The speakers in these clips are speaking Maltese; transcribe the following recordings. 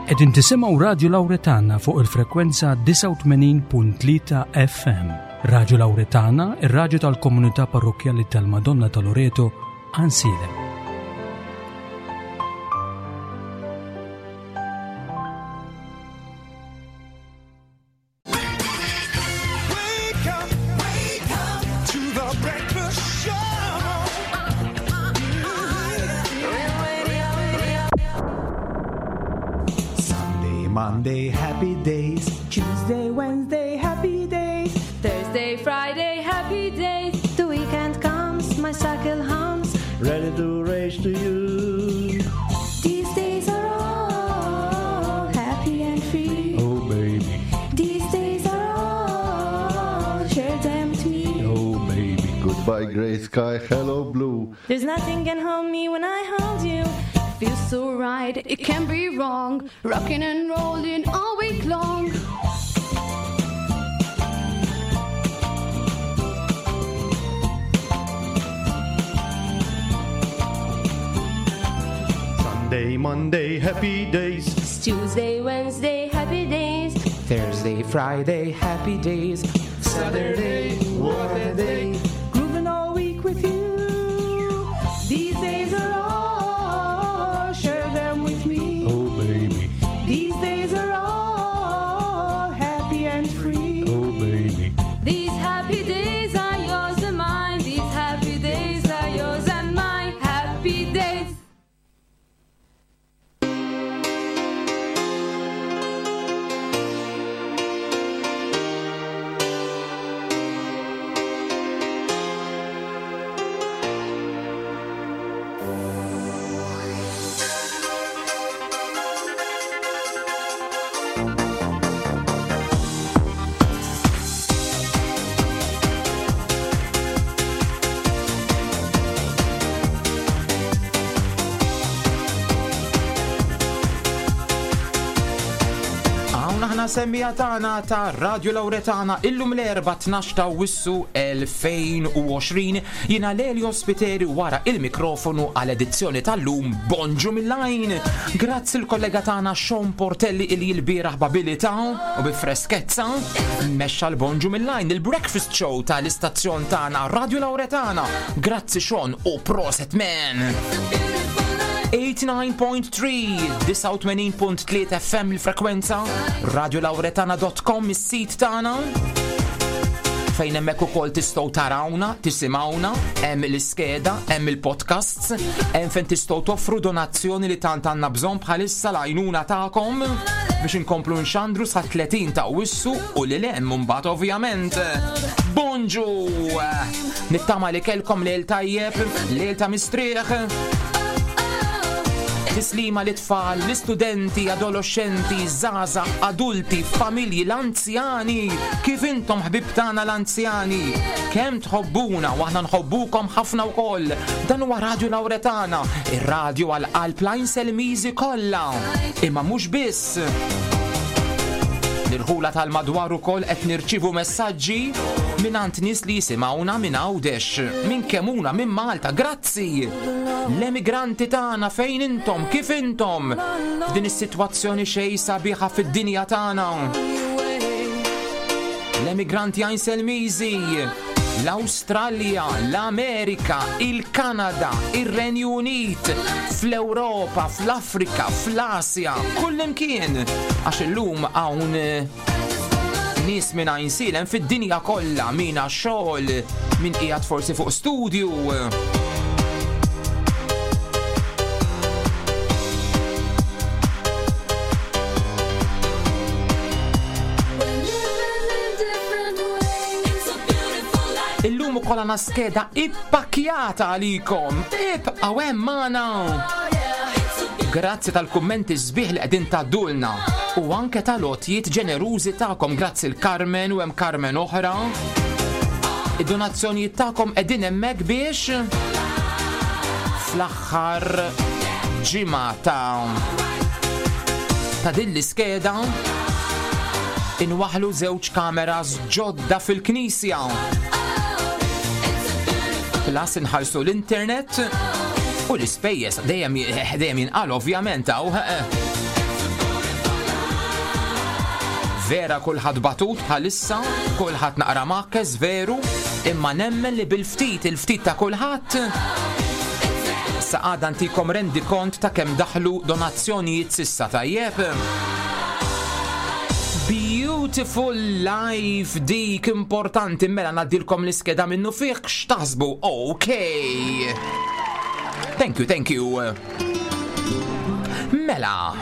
Qegħdin tisimgħu Radju Lawretana fuq il-frekwenza 89.3 FM. Radju Lawretana, ir-radju tal-komunità parrokkjali tal-Madonna ta' Loreto, Għansielem. Sunday, Monday, happy days. Tuesday, Wednesday, happy days. Thursday, Friday, happy days. The weekend comes, my cycle hums. Ready to race to you. These days are all happy and free. Oh, baby. These days are all, share them with me. Oh, baby. Goodbye, gray sky. Hello, blue. There's nothing can hold me when I hold you. Feels so right, it can be wrong. Rocking and rolling all week long. Sunday, Monday, happy days. It's Tuesday, Wednesday, happy days. Thursday, Friday, happy days. Saturday, what a day. Grooving all week with you. These days are all, share them with me. Oh, baby. These days are all happy and free. Oh, baby. These happy days are yours and mine. These happy days are yours and mine. Happy days. Hawn aħna semmija tagħna ta' Radio Lauretana illum l-erba' 12 ta' Wissu 2020 jiena Lelio Spiteri wara il-mikrofonu għal edizzjoni tal-lum Bonġu mill-lajn. Grazzi l-kollega tagħna Sean Portelli illi l-bieraħ b'abilità u bi freskezza mexxa l-Bonġu mill-lajn il-breakfast show tal-istazzjon tagħna Radio Lauretana. Grazzi Sean u proset man. 89.3 89.3 FM il-frekwenza radiolauretana.com is-sit tagħna fejn hemmhekk ukoll tistgħu tarawna, tisimgħuna, hemm l-iskeda, hemm il-podcasts, hemm fejn tistgħu toffru donazzjoni li tant għandna bżonn bħalissa l-għajnuna tagħkom biex inkomplu nxandru sa 30 ta' wissu u lil hemm mbagħad ovvjament. Bonġu! Nittama li kellkom lejl tajjeb, lejl ta' mistrieħ. Tislima li tfal, l-istudenti, adolescenti, zaza, adulti, familji, l-anzjani. Kif intom ħbib tagħna l-anzjani? Kemm tħobbuna u aħna nħobbukom ħafna wkoll. Dan huwa Radio Lauretana, ir-radio għal qalb l-Selmiżi kollha. Imma mhux biss. L-irħula tal-madwar ukoll qed nirċievu messaġġi mingħand nies li jisimgħuna minn Għawdex, minn Kemuna, minn Malta. Grazzi! L-emigranti tagħna fejn intom, kif intom? F'din is-sitwazzjoni xejn sabiħa fid-dinja tagħna. L-emigranti għajn Selmiżi, l-Awstralja, l-Amerika, il-Kanada, ir-Renju Unit, fl-Ewropa, fl-Afrika, fl-Asja, kullimkien. Għax illum hawn nies minn Għajnsielem fid-dinja kollha, min għax-xogħol, min qiegħed forsi fuq studju. Illum ukoll għandna skeda ippakjata għalikom. Ibqgħu hemm magħna. Grazzi tal-kummenti sbieħ li qegħdin tgħaddulna u anke tal-għotjiet ġenerużi tagħkom. Grazzi l-Carmen u hemm Carmen oħra. Id-donazzjonijiet tagħkom qegħdin hemmhekk biex fl-aħħar ġimgħa ta' ta' din l-iskeda inwaħlu żewġ kameras ġodda fil-knisja. Plus inħallsu l-internet u l-ispejjeż dejjem dejjem jinqal ovvjament hawn. Vera kulħadd batut bħalissa, kulħadd naqra makkes veru, imma nemmen li bil-ftit il-ftit ta' kulħadd sa għada ntikom rendi kont ta' kemm daħlu donazzjonijiet sissa tajjeb. Beautiful life dik importanti mela ngħaddilkom l-iskeda minnu fih x'taħsbu. Ok. Thank you, thank you. Mela,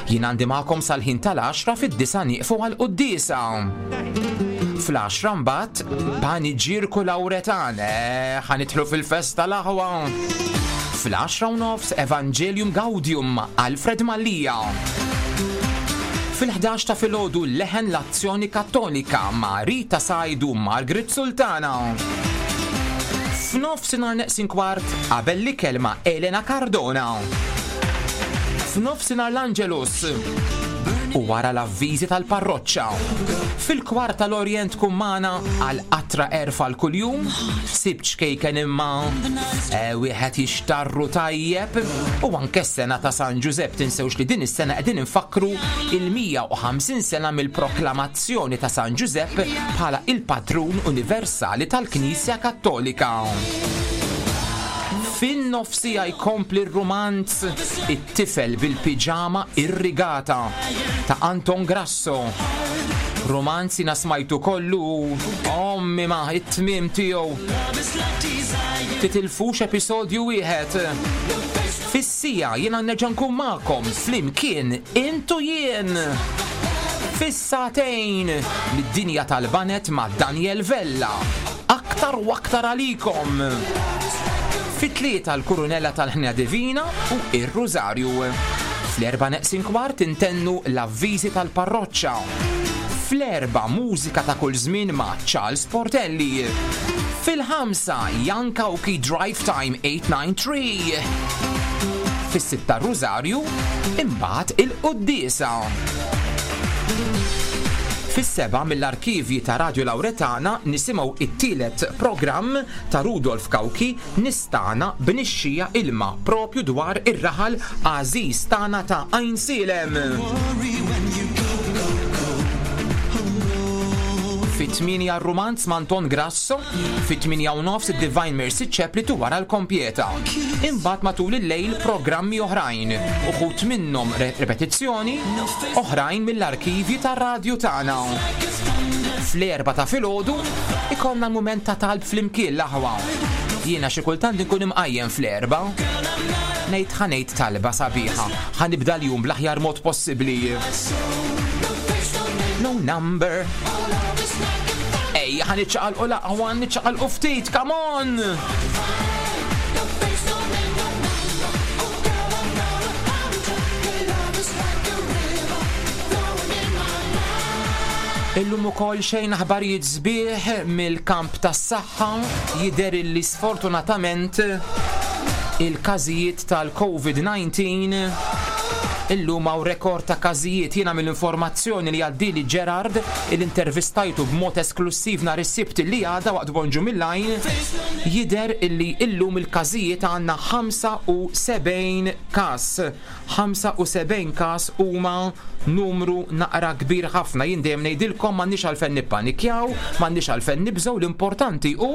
jien għandi magħkom sal-ħin tal-10 fid-disa nieqfu għal quddiesa. Fl-10 mbagħad paniġirku Lawretan, eh, ħanitħlu fil-festa l-aħwa. Fl-10 u nofs Evangelium Gaudium Alfred Mallia. Fil-11 ta' filgħodu leħen l-Azzjoni Kattolika ma' Rita Sajdu Margaret Sultana. F'nofsinhar neqsin kwart qabel l-ikel ma' Elena Cardona. F'nofsinhar l-Angelus u wara l-avviżi tal-parroċċa. Fil-kwart tal-Orjent tkun magħna għal qatra erfa l kuljum, sibt xkejken imma eh, wieħed jixtarru tajjeb u anke s-sena ta' San Ġużepp tinsewx li din is-sena qegħdin infakkru il-150 sena mill-proklamazzjoni ta' San Ġużepp bħala il-patrun universali tal-Knisja Kattolika. Fin-nofsija jkompli r-rumanz It-tifel bil-piġama irrigata ta' Anton Grasso. Rumanz jina smajtu kollu ommi ma it-tmiem tiegħu. Titilfux episodju wieħed. Fis-sija jiena nerġa' nkun magħkom flimkien intu jien. Fis-sagħtejn mid-dinja tal-banet ma' Daniel Vella. Aktar u aktar għalikom. Fit-tlieta l-Kurunella tal-Ħnija Divina u ir-Rużarju. Fl-erba' neqsin kwart intennu l-avviżi tal-parroċċa. Fl-erba' mużika ta' kull żmien ma' Charles Portelli. Fil-ħamsa Jan Cauchi Drive Time 893. Fis-sitta Rużarju, imbagħad il-quddiesa. Fis-seba' mill-arkivji ta' Radio Lauretana nisimgħu it-tielet programm ta' Rudolf Cauchi Nistana b'nixxija ilma propju dwar ir-raħal għażiż tagħna ta' Għajnsielem. Fit-8 r-rumanz ma' Anton Grasso, fit-8 u nofs id-Divine Mercy Chaplet u wara l-Kompjeta. Imbagħad matul il-lejl programmi oħrajn, uħud minnhom repetizzjoni, oħrajn mill-arkivji tar-radju tagħna. Fl-erba ta' filgħodu ikollna mument ta' talb flimkien l-aħwa. Jiena xi kultant inkun imqajjem fl-erba. Ngħid ħa ngħid talba sabiħa, ħa nibda l-jum bl-aħjar mod possibbli. No number. Ejja ħa niċċaqalqu l-aqwa, niċċaqalqu ftit, come on! Illum ukoll xejn aħbarijiet sbieħ mill-kamp tas-saħħa jidher illi sfortunatament il-każijiet tal-COVID-19 illum hawn rekord ta' każijiet jiena mill-informazzjoni li għaddili Gerard il-intervistajtu b'mod esklussiv nhar is-Sibt li għadha waqt Bonġu mill-Għajn jidher illi illum il-każijiet għandna 75 każ. 75 każ huma numru naqra kbir ħafna. Jien dejjem ngħidilkom m'għandniex għalfejn nippanikjaw, m'għandniex għalfejn nibżgħu, l-importanti hu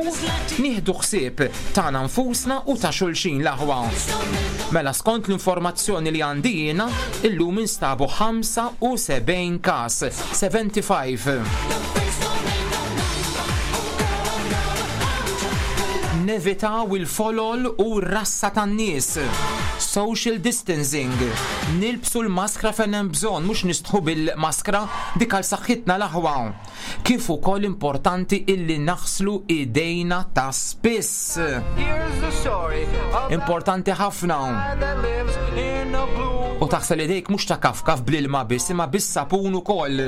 nieħdu ħsieb tagħna nfusna u ta' xulxin l-aħwa. Mela skont l-informazzjoni li għandi jiena, illum instabu 75 każ, 75. Nevitaw il-folol u r-rassa tan-nies. Social distancing. Nilbsu l-maskra fejn hemm bżonn, mhux nistħu bil-maskra, dik għal saħħitna l-aħwa. Kif ukoll importanti illi naħslu idejna ta' spiss. Importanti ħafna. U taħsel idejk mhux ta' kafkaf bl-ilma biss, imma bis-sapun ukoll.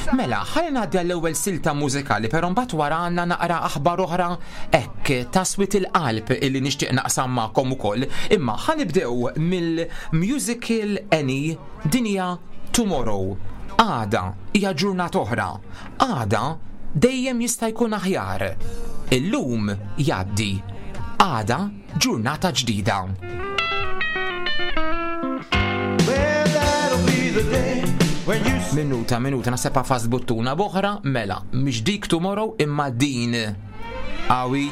Mela, ħalli ngħaddi għall-ewwel silta mużikali, però mbagħad wara għandna naqra aħbar oħra hekk taswit il-qalb illi nixtieq naqsam magħkom ukoll. Imma ħa nibdew mill-musical Annie dinja Tomorrow. Għada hija ġurnata oħra. Għada dejjem jista' jkun aħjar. Illum jgħaddi. Għada ġurnata ġdida. be the day when you Minuta, minuta, naħseb għafast buttuna b'oħra, mela, mhix dik tomorrow imma din. Awi.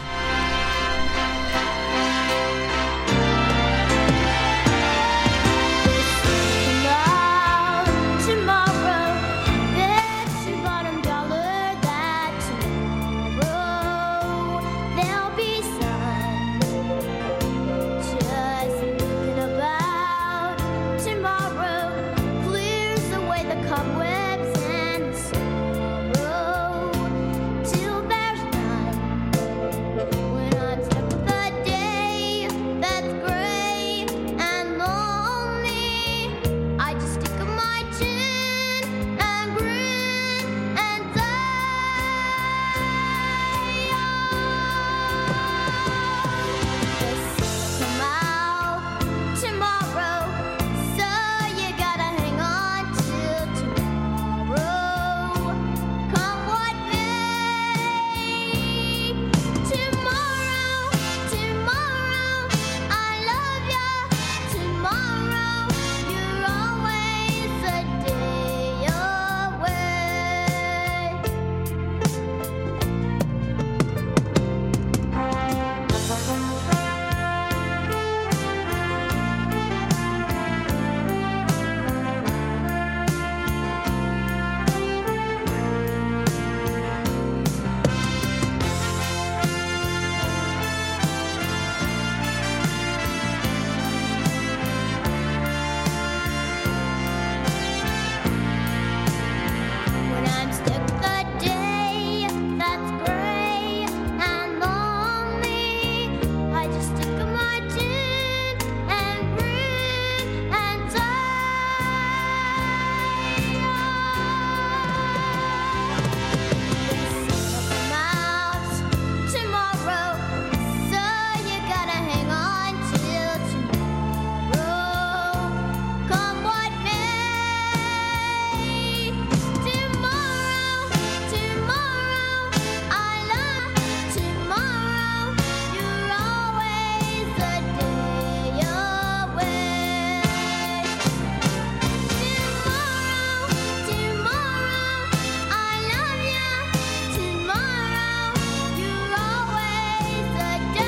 Tomorrow, bet your bottom dollar that tomorrow there'll be sun. Just thinking about tomorrow clears away the cobwebs and the sorrow till there's none. When I'm stuck with a day that's gray and lonely, I just stick up my chin and grin and say, "Oh, the sun will come out tomorrow, so you gotta hang on till tomorrow, come what may. Tomorrow, tomorrow, I love ya. Tomorrow, you're always a day away. When I'm stuck with a day that's gray and lonely, I just stick up my chin and grin and say, "Oh, the sun will come out tomorrow, so you gotta hang on till tomorrow, come what may. Tomorrow, tomorrow, I love tomorrow. You're always a day away. Tomorrow, tomorrow, I love you. Tomorrow, you're always a day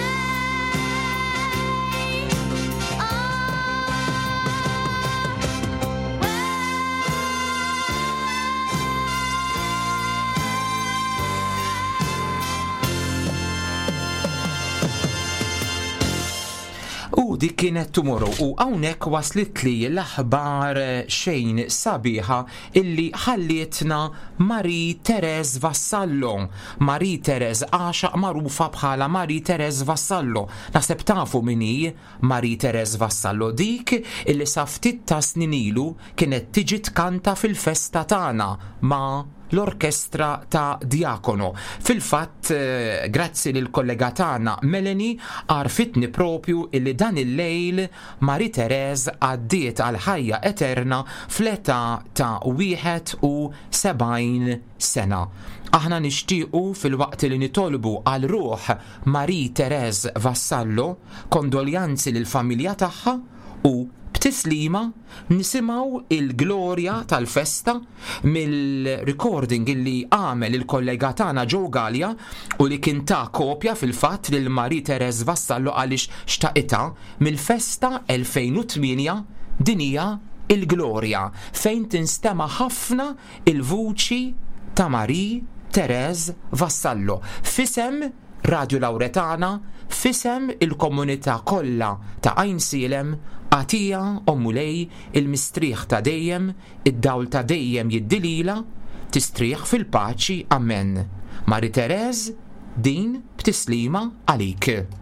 U dik kienet tomorrow u hawnhekk waslit li l-aħbar xejn sabiħa illi ħallietna Marie Therese Vassallo. Marie Therese għaxaq magħrufa bħala Marie Therese Vassallo. Naħseb tafu min hi Marie Therese Vassallo dik illi sa ftit ta' snin ilu kienet tiġi tkanta fil-festa tagħna ma' l-orkestra ta' Diakono. Fil-fatt, grazzi lil kollega tagħna Melanie għarfitni propju illi dan il-lejl Marie Therese għaddiet għal ħajja eterna fl-età ta' 71 sena. Aħna nixtiequ fil-waqt li nitolbu għal ruħ Marie Therese Vassallo kondoljanzi lil familja tagħha u b'tislima nisimgħu il-glorja tal-festa mill-recording illi għamel il-kollega tagħna Joe Gallia u li kien ta' kopja fil-fatt lil Marie Therese Vassallo għaliex xtaqitha mill-festa 2008 din hija il-glorja fejn tinstema' ħafna il-vuċi ta' Marie Therese Vassallo f'isem Radio Lauretana, f'isem il-komunità kollha ta' Għajnsielem, agħtiha, o Mulej, il-mistrieħ ta' dejjem, id-dawl ta' dejjem jiddi lilha, tistrieħ fil-paċi. Amen. Marie Therese, din b'tislima għalik. Tomorrow.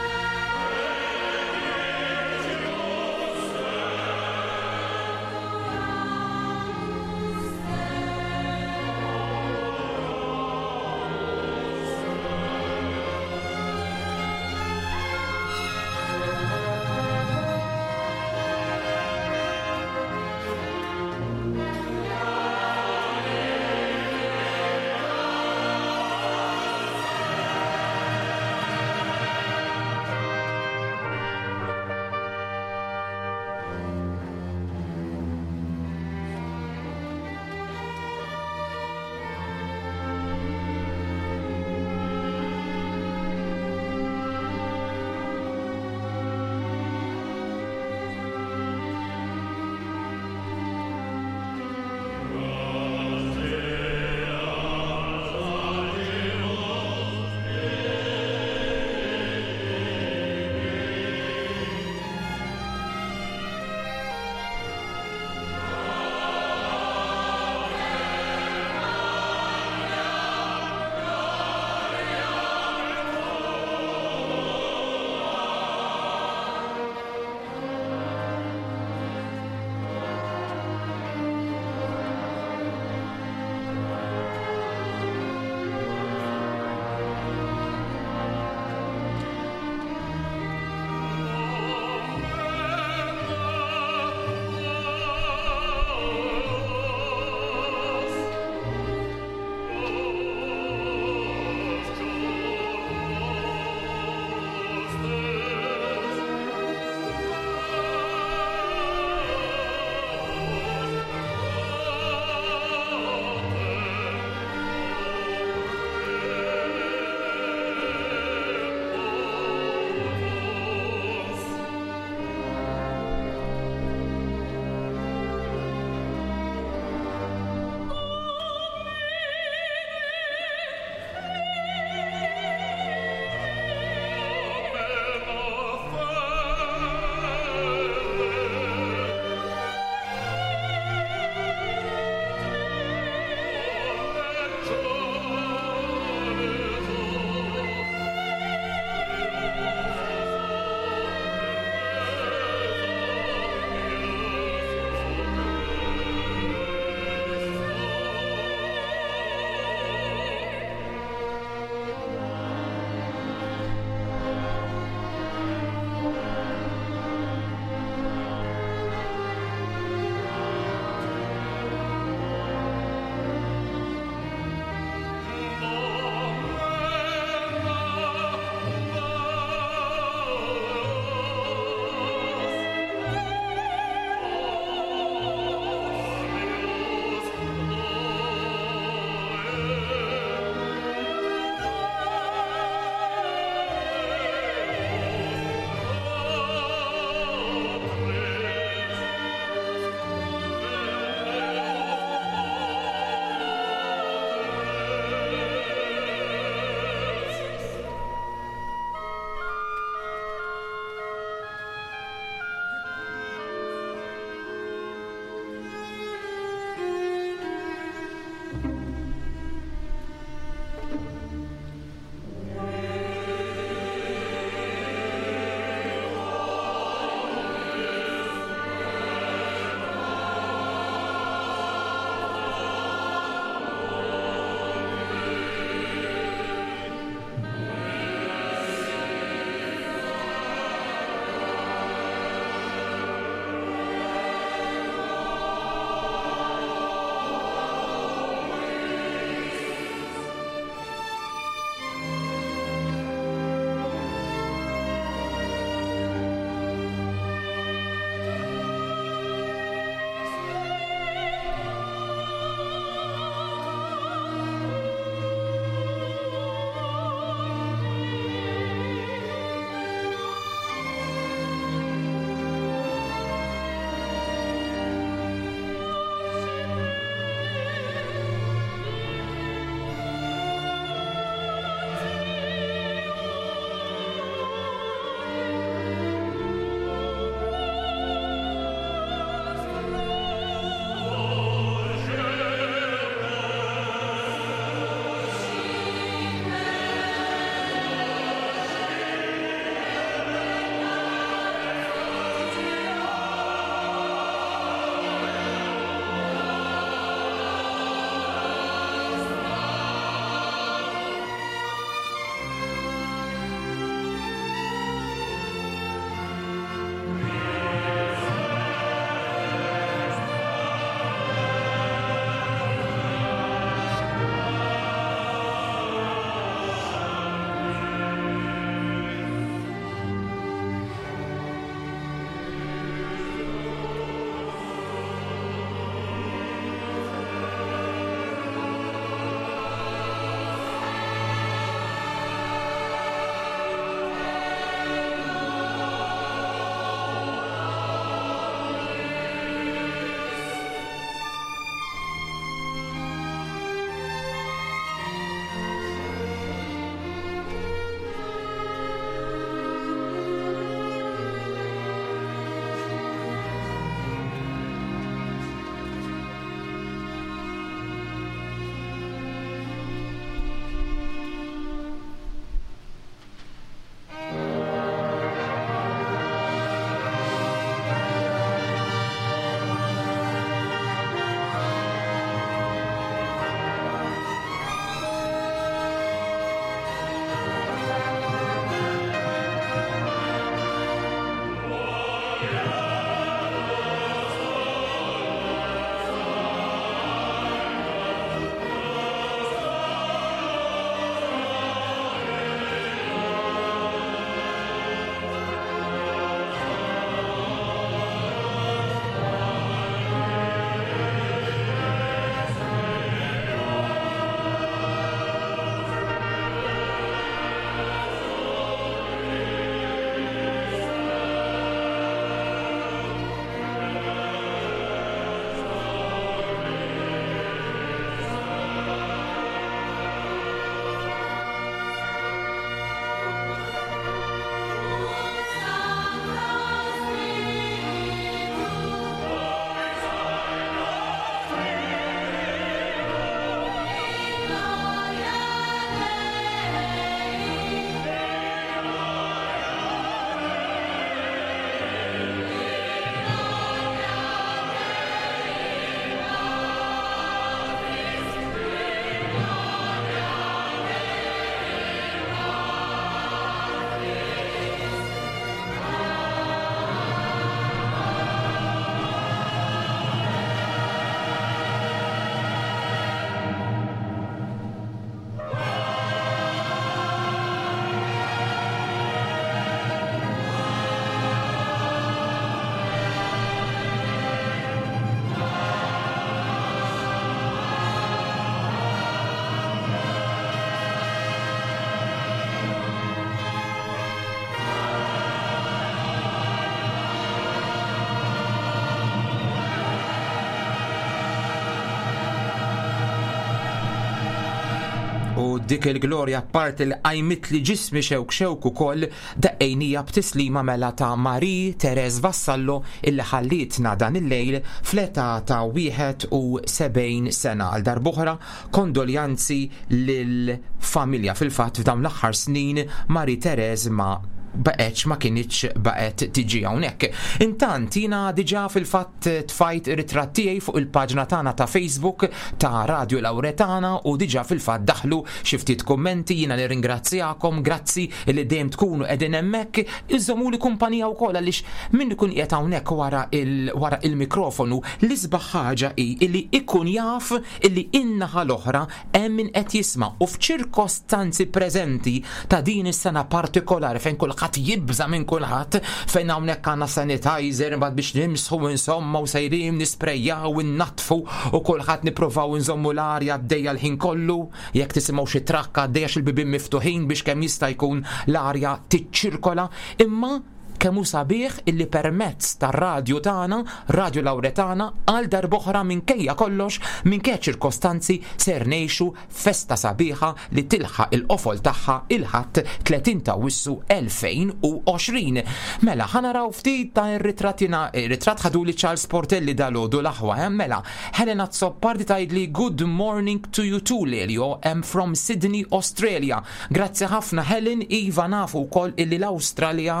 Dik il-glorja apparti li qajmitli ġismi xewk xewk ukoll daqqejnija b'tislima mela ta' Marie Therese Vassallo illi ħallietna dan il-lejl fl-età ta' 71 sena. Għal darb'oħra kondoljanzi lill-familja. Fil-fatt f'dawn l-aħħar snin Marie Therese ma baqgħetx ma kinitx baqgħet tiġi hawnhekk. Intant jiena diġà fil-fatt tfajt ritratt tiegħi fuq il-paġna tagħna ta' Facebook ta' Radio Lauretana u diġà fil-fatt daħlu xi ftit kummenti jiena nirringrazzjakom grazzi li dejjem tkunu qegħdin hemmhekk iżommuli kumpanija wkoll għaliex min ikun qiegħed hawnhekk wara il wara il-mikrofonu l-isbaħ ħaġa hi illi ikun jaf illi in-naħa l-oħra hemm min qed jisma' u f'ċirkostanzi preżenti ta' din is-sena partikolari fejn kulħadd jibża' minn kulħadd, fejn hawnhekk għandna sanitizer imbagħad biex nimsħu insomma u sejrin nisprejjaw innaddfu u kulħadd nippruvaw inżommu l-arja għaddejja l-ħin kollu, jekk tisimgħu xi trakk għaddej għax il-bibien miftuħin biex kemm jista' jkun l-arja tiċċirkola, imma Kemm hu sabiħ illi permezz tar-radju tagħna, Radio Lauretana, għal darb'oħra minkejja kollox, minkejja ċ-ċirkostanzi, ser ngħixu festa sabiħa li tilħaq il-qofol tagħha il-Ħadd 30 t'Awwissu 2020. Mela, ħa naraw ftit ta' ir-ritratt jiena ritratt ħaduli Charles Portelli dalgħodu l-aħwa, eh? Mela, Helena Azzopardi tgħidli Good morning to you too Lelio, am from Sydney, Australia. Grazzi ħafna Helen, iva nafu wkoll illi l-Awstralja,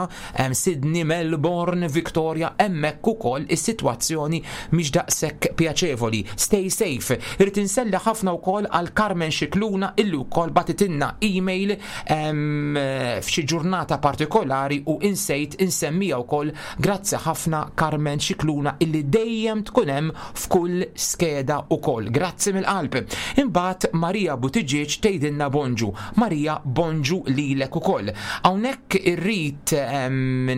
Sydney, Melbourne, Victoria, hemmhekk ukoll is-sitwazzjoni mhix daqshekk pjaċevoli. Stay safe. Irrid inselli ħafna wkoll għal Carmen Scicluna illi wkoll bagħtitilna email f'xi ġurnata partikolari u insejt insemmija wkoll. Grazzi ħafna Carmen Scicluna illi dejjem tkun hemm f'kull skeda ukoll. Grazzi mill-qalb. Imbagħad Maria Buttigieg tgħidilna bonġu. Maria bonġu lilek ukoll. Hawnhekk irrid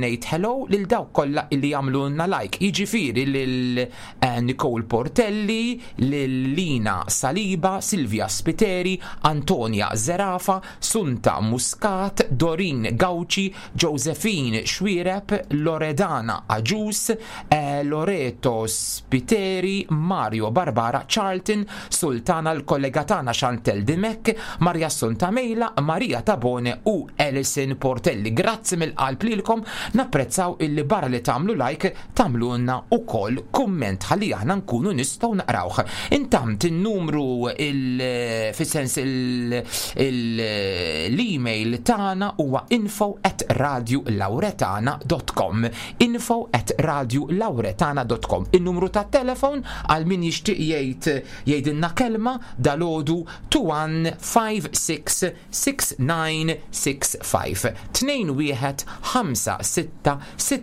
ngħid hello lil dawk kollha illi jagħmlulna like. Jiġifieri lil eh, Nicole Portelli, lil Lina Saliba, Silvia Spiteri, Antonia Zerafa, Sunta Muscat, Dorin Gauci, Josephine Xuereb, Loredana Agius, Loreto Spiteri, Mario Barbara, Charlton, Sultana l-kollega tagħna Chantelle Dimech, Maria Assunta Mejla, Maria Tabone u Alison Portelli. Grazzi mill-qalb lilkom, napprezzaw illi barra li tagħmlu like tagħmlulna wkoll kumment ħalli aħna nkunu nistgħu naqrawh. Intant in-numru il fis-sens l-email tagħna huwa info at radiolauretana.com info at radiolauretana.com In-numru tat-telefon għal min jixtieq jgħid jgħidilna kelma dalgħodu 2156 6965 21 5 6 6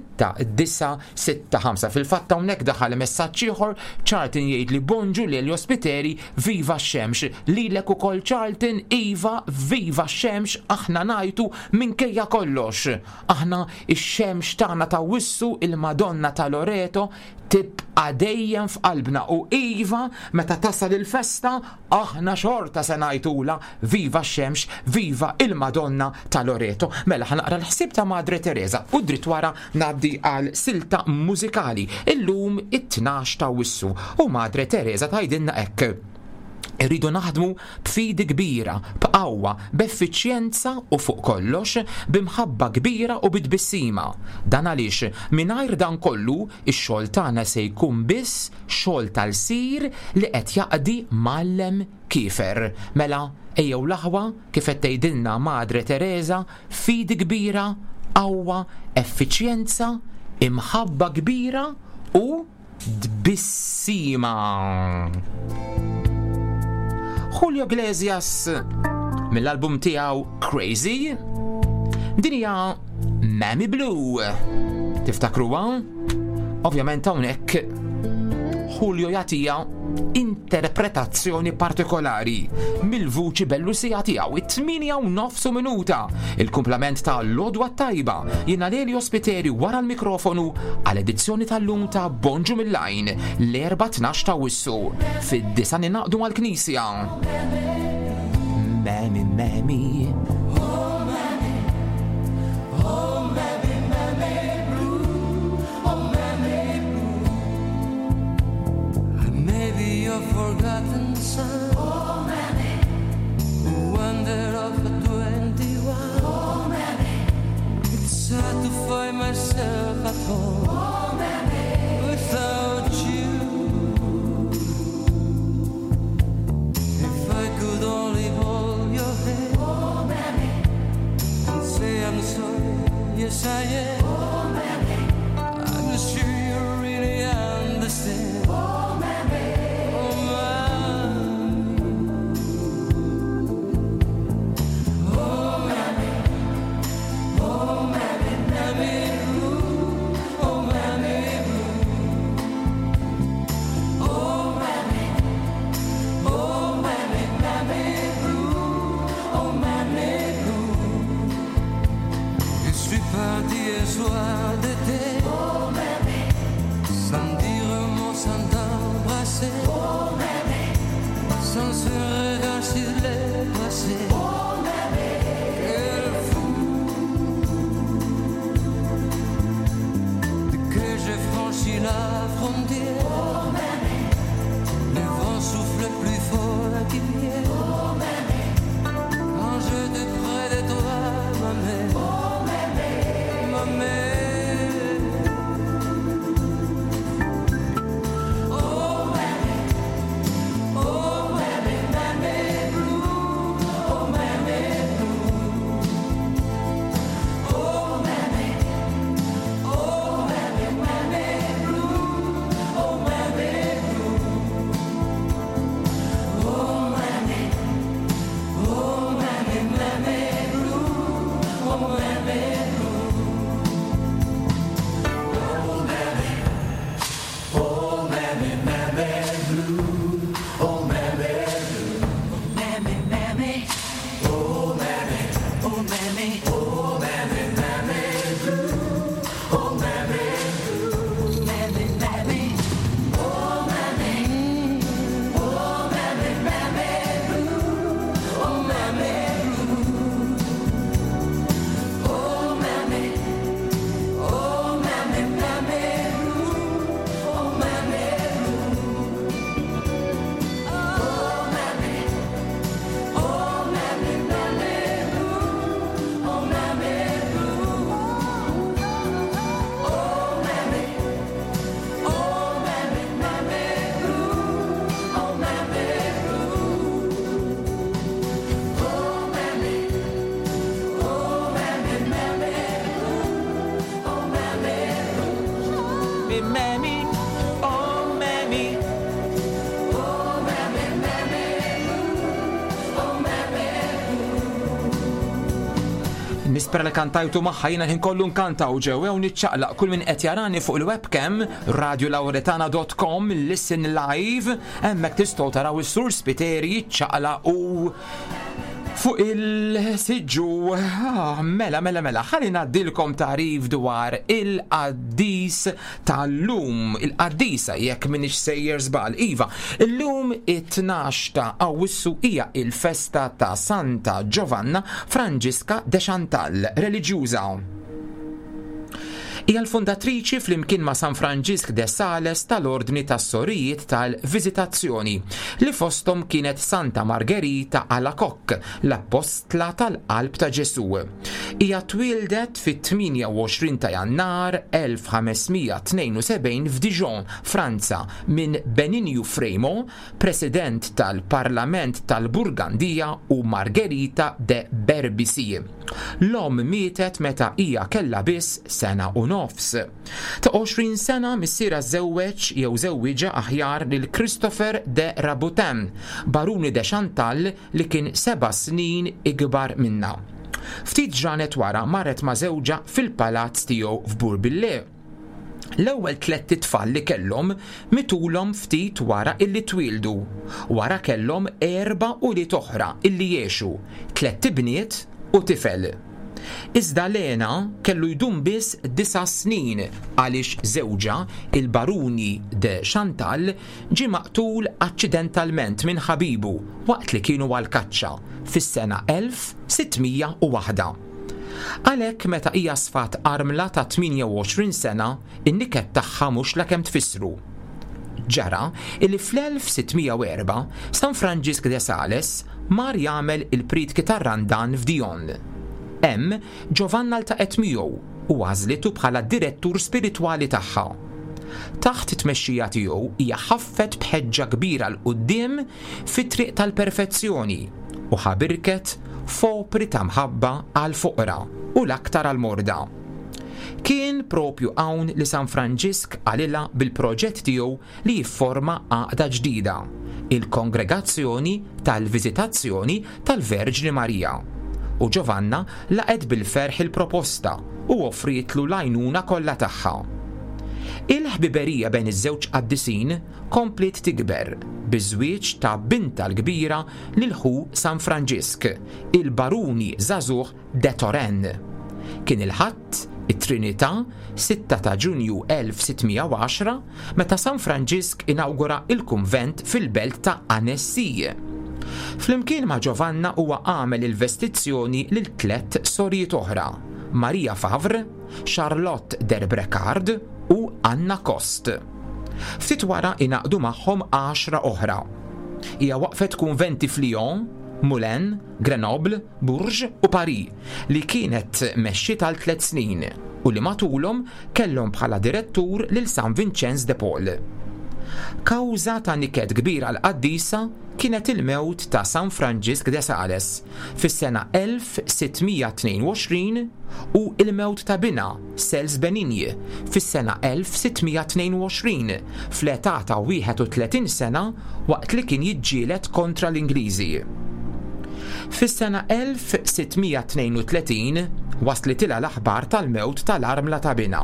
9 6 5 Fil-fatt hawnhekk daħal messaġġ ieħor, Charlton jgħidli bonġu Lelio Spiteri, viva x-xemx. Lilek ukoll Charlton, iva, viva x-xemx, aħna ngħajtu minkejja kollox. Aħna x-xemx tagħna ta' Wissu, il-Madonna ta' Loreto, tibqa' dejjem f'qalbna u iva, meta tasal il-festa, aħna xorta se ngħajtulha viva x-xemx, viva il-Madonna ta' Loreto. Mela ħa naqra l-ħsieb ta' Madre Teresa u dritt wara ngħaddi għal silta mużikali. Illum it-tnax ta' Awwissu u Madre Teresa tgħidilna hekk. Irridu naħdmu b'fidi kbira, b'qawwa, b'effiċjenza u fuq kollox, b'imħabba kbira u bi tbissima. Dan għaliex mingħajr dan kollu, ix-xogħol tagħna se jkun biss xogħol ta' lsir li qed jaqdi mgħallem kiefer. Mela, ejjew l-aħwa, kif qed tgħidilna Madre Teresa, fidi kbira, qawwa, effiċjenza, imħabba kbira u tbissima. Julio Iglesias mill-album tiegħu Crazy din hija Mammy Blue. Tiftakruha? Ovvjament hawnhekk Julio jagħtiha interpretazzjoni partikolari mill-vuċi bellusija tiegħu it-8 u nofsu minuta. Il-kumplament ta' Lodwa Tajba jiena Lelio Spiteri wara l-mikrofonu għal edizzjoni tal-lum ta' Bonġu mill-Għajn l-4 12 ta' Wissu fid-disa ninaqdu mal-Knisja. Memi, memi. Maybe your forgotten son. Oh, mammy. Who wandered Mammy, oh mammy. Oh mammy, mammy, oh mammy. Nispera li kantajtu magħha jiena ħin kollu nkanta u ġew u niċċaqlaq kull min qed jarani fuq il-webcam radiolauretana.com listen live hemmhekk tistgħu taraw is-sur Spiteri jiċċaqlaq u fuq il-siġġu ah, mela mela mela ħalli ngħaddilkom tagħrif dwar il-qaddis tal-lum, il-qaddisa jekk minix sejjer żball. Iva, illum it-12 ta' Awwissu hija il-festa ta' Santa Giovanna Franġiska de Chantal, reliġjuża. Hija l-fundatriċi flimkien ma' San Franġisk de Sales tal-Ordni tas-Sorijiet tal-Viżitazzjoni, li fosthom kienet Santa Margherita Alacoque, l-Appostla tal-Qalb ta' Ġesù. Hija twieldet fit-28 ta' Jannar 1572 f'Dijon, Franza, minn Beninju Freymo, President tal-Parlament tal-Burgandija u Margherita de Berbisi. L-omm mietet meta hija kellha biss sena u nofs. Ta' 20 sena missierha żewweġ jew żewwiġha aħjar lil Christopher de Rabutin, Baruni de Chantal li kien seba' snin ikbar minnha. Ftit ġranet wara marret ma' żewġha fil-palazz tiegħu f'Bourbillet. L-ewwel tlett itfal li kellhom mitulhom ftit wara illi twieldu. Wara kellhom erba' ulied oħra illi għexu, tlett ibniet u tifel. Iżda l-hena kellu jdum biss disa' snin għaliex żewġha, il-Baruni de Chantal, ġie maqtul aċċidentalment minn ħabibu waqt li kienu għall-kaċċa fis-sena 1601. Għalhekk meta hija sfat armla ta' 28 sena, in-niket tagħha mhux lakemm tfissru. Ġara illi fl-1604 San Franġisk de Sales mar jagħmel il-prietki tar-Randan f'Dijon. Hemm, Giovanna ltaqgħet miegħu u għażlitu bħala d-direttur spiritwali tagħha. Taħt it-tmexxija tiegħu hija ħaffet b'ħeġġa kbira 'l quddiem fit-triq tal-perfezzjoni u ħabirket f'opri ta' mħabba għall-foqra u l-aktar għall-morda. Kien propju hawn li San Franġisk qalilha bil-proġett tiegħu li jifforma għaqda ġdida, il-Kongregazzjoni tal-Viżitazzjoni tal-Verġni Marija. U Giovanna laqgħet bil-ferħ il-proposta u offrietlu l-għajnuna kollha tagħha. Il-ħbiberija bejn iż-żewġ qaddisin kompliet tikber biż-żwieġ ta' bintha l-kbira lil ħu San Franġisk, il-Baruni żagħżugħ de Turenne. Kien il-Ħadd, it-Trinità, 6 ta' Ġunju 1610, meta San Franġisk inawgura l-kunvent fil-belt ta' Annecy. Flimkien ma' Giovanna huwa għamel il-vestizzjoni lil tlett sorijiet oħra, Maria Favre, Charlotte d'Herbrecard u Anna Coste. Ftit wara ingħaqdu magħhom għaxra oħra. Hija waqqfet kunventi f'Lyon, Moulins, Grenoble, Bourges u Paris li kienet mexxiet għal tliet snin u li matulhom kellhom bħala direttur lil San Vinċenz de Paul. Kawża ta' niket kbir għall-qaddisa kienet il-mewt ta' San Franġisk de Sales fis-sena 1622 u l-mewt ta' binha Cels Benigne fis-sena 1622 fl-età ta' 31 sena waqt li kien jiġġieled kontra l-Ingliżi. Fis-sena 1632 waslitilha l-aħbar tal-mewt tal-armla ta' binha.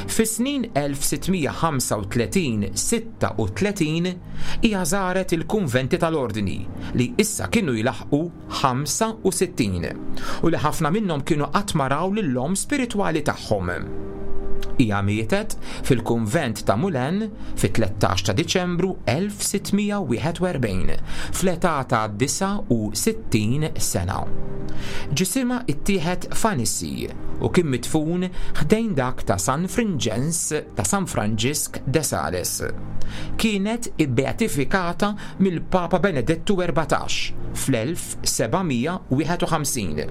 Fis-snin 1635-36 hija żaret il-kunventi tal-Ordni li issa kienu jlaħħqu 65 u li ħafna minnhom kienu qatt ma raw lill-omm spiritwali tagħhom. Hija mietet fil-kunvent ta' Moulins fit-13 ta' Diċembru 1641 fl-età ta' 69 sena. Ġisimha ttieħed f'Annecy u kien midfun ħdejn dak ta' San Frinġens ta' San Franġisk de Sales. Kienet ibbeatifikata mill-Papa Benedettu 14 fl-1751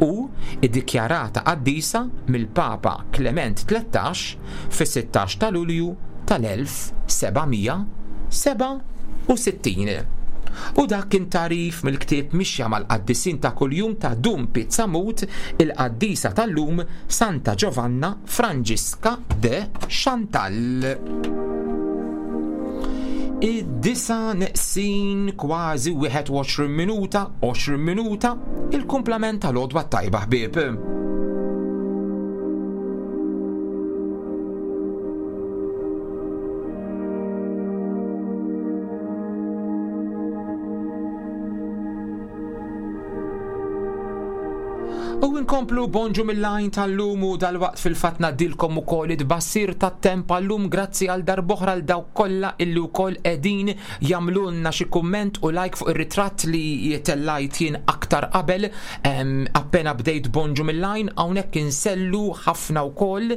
u ddikjarata qaddisa mill-Papa Klement 13 fis-16 ta' Lulju tal-1767. U dak kien tagħrif mill-ktieb Mixja mal-Qaddisin ta' Kuljum ta' Dun Pizzamut, il-qaddisa tal-lum Santa Giovanna Franġiska de Chantal. Id-disa neqsin kważi 21 minuta, 20 minuta, il-kumplament tal-għodwa t-tajba ħbieb. U nkomplu bonġu mill-għajn tal-lum u dal-waqt fil-fatt ngħaddilkom ukoll it-tbassir tat-temp għal-lum grazzi għal darb'oħra għal dawk kollha illi wkoll qegħdin jagħmlulna xi kumment u like fuq ir-ritratt li tellajt jien aktar qabel appena bdejt bonġu mill-għajn hawnhekk insellu ħafna wkoll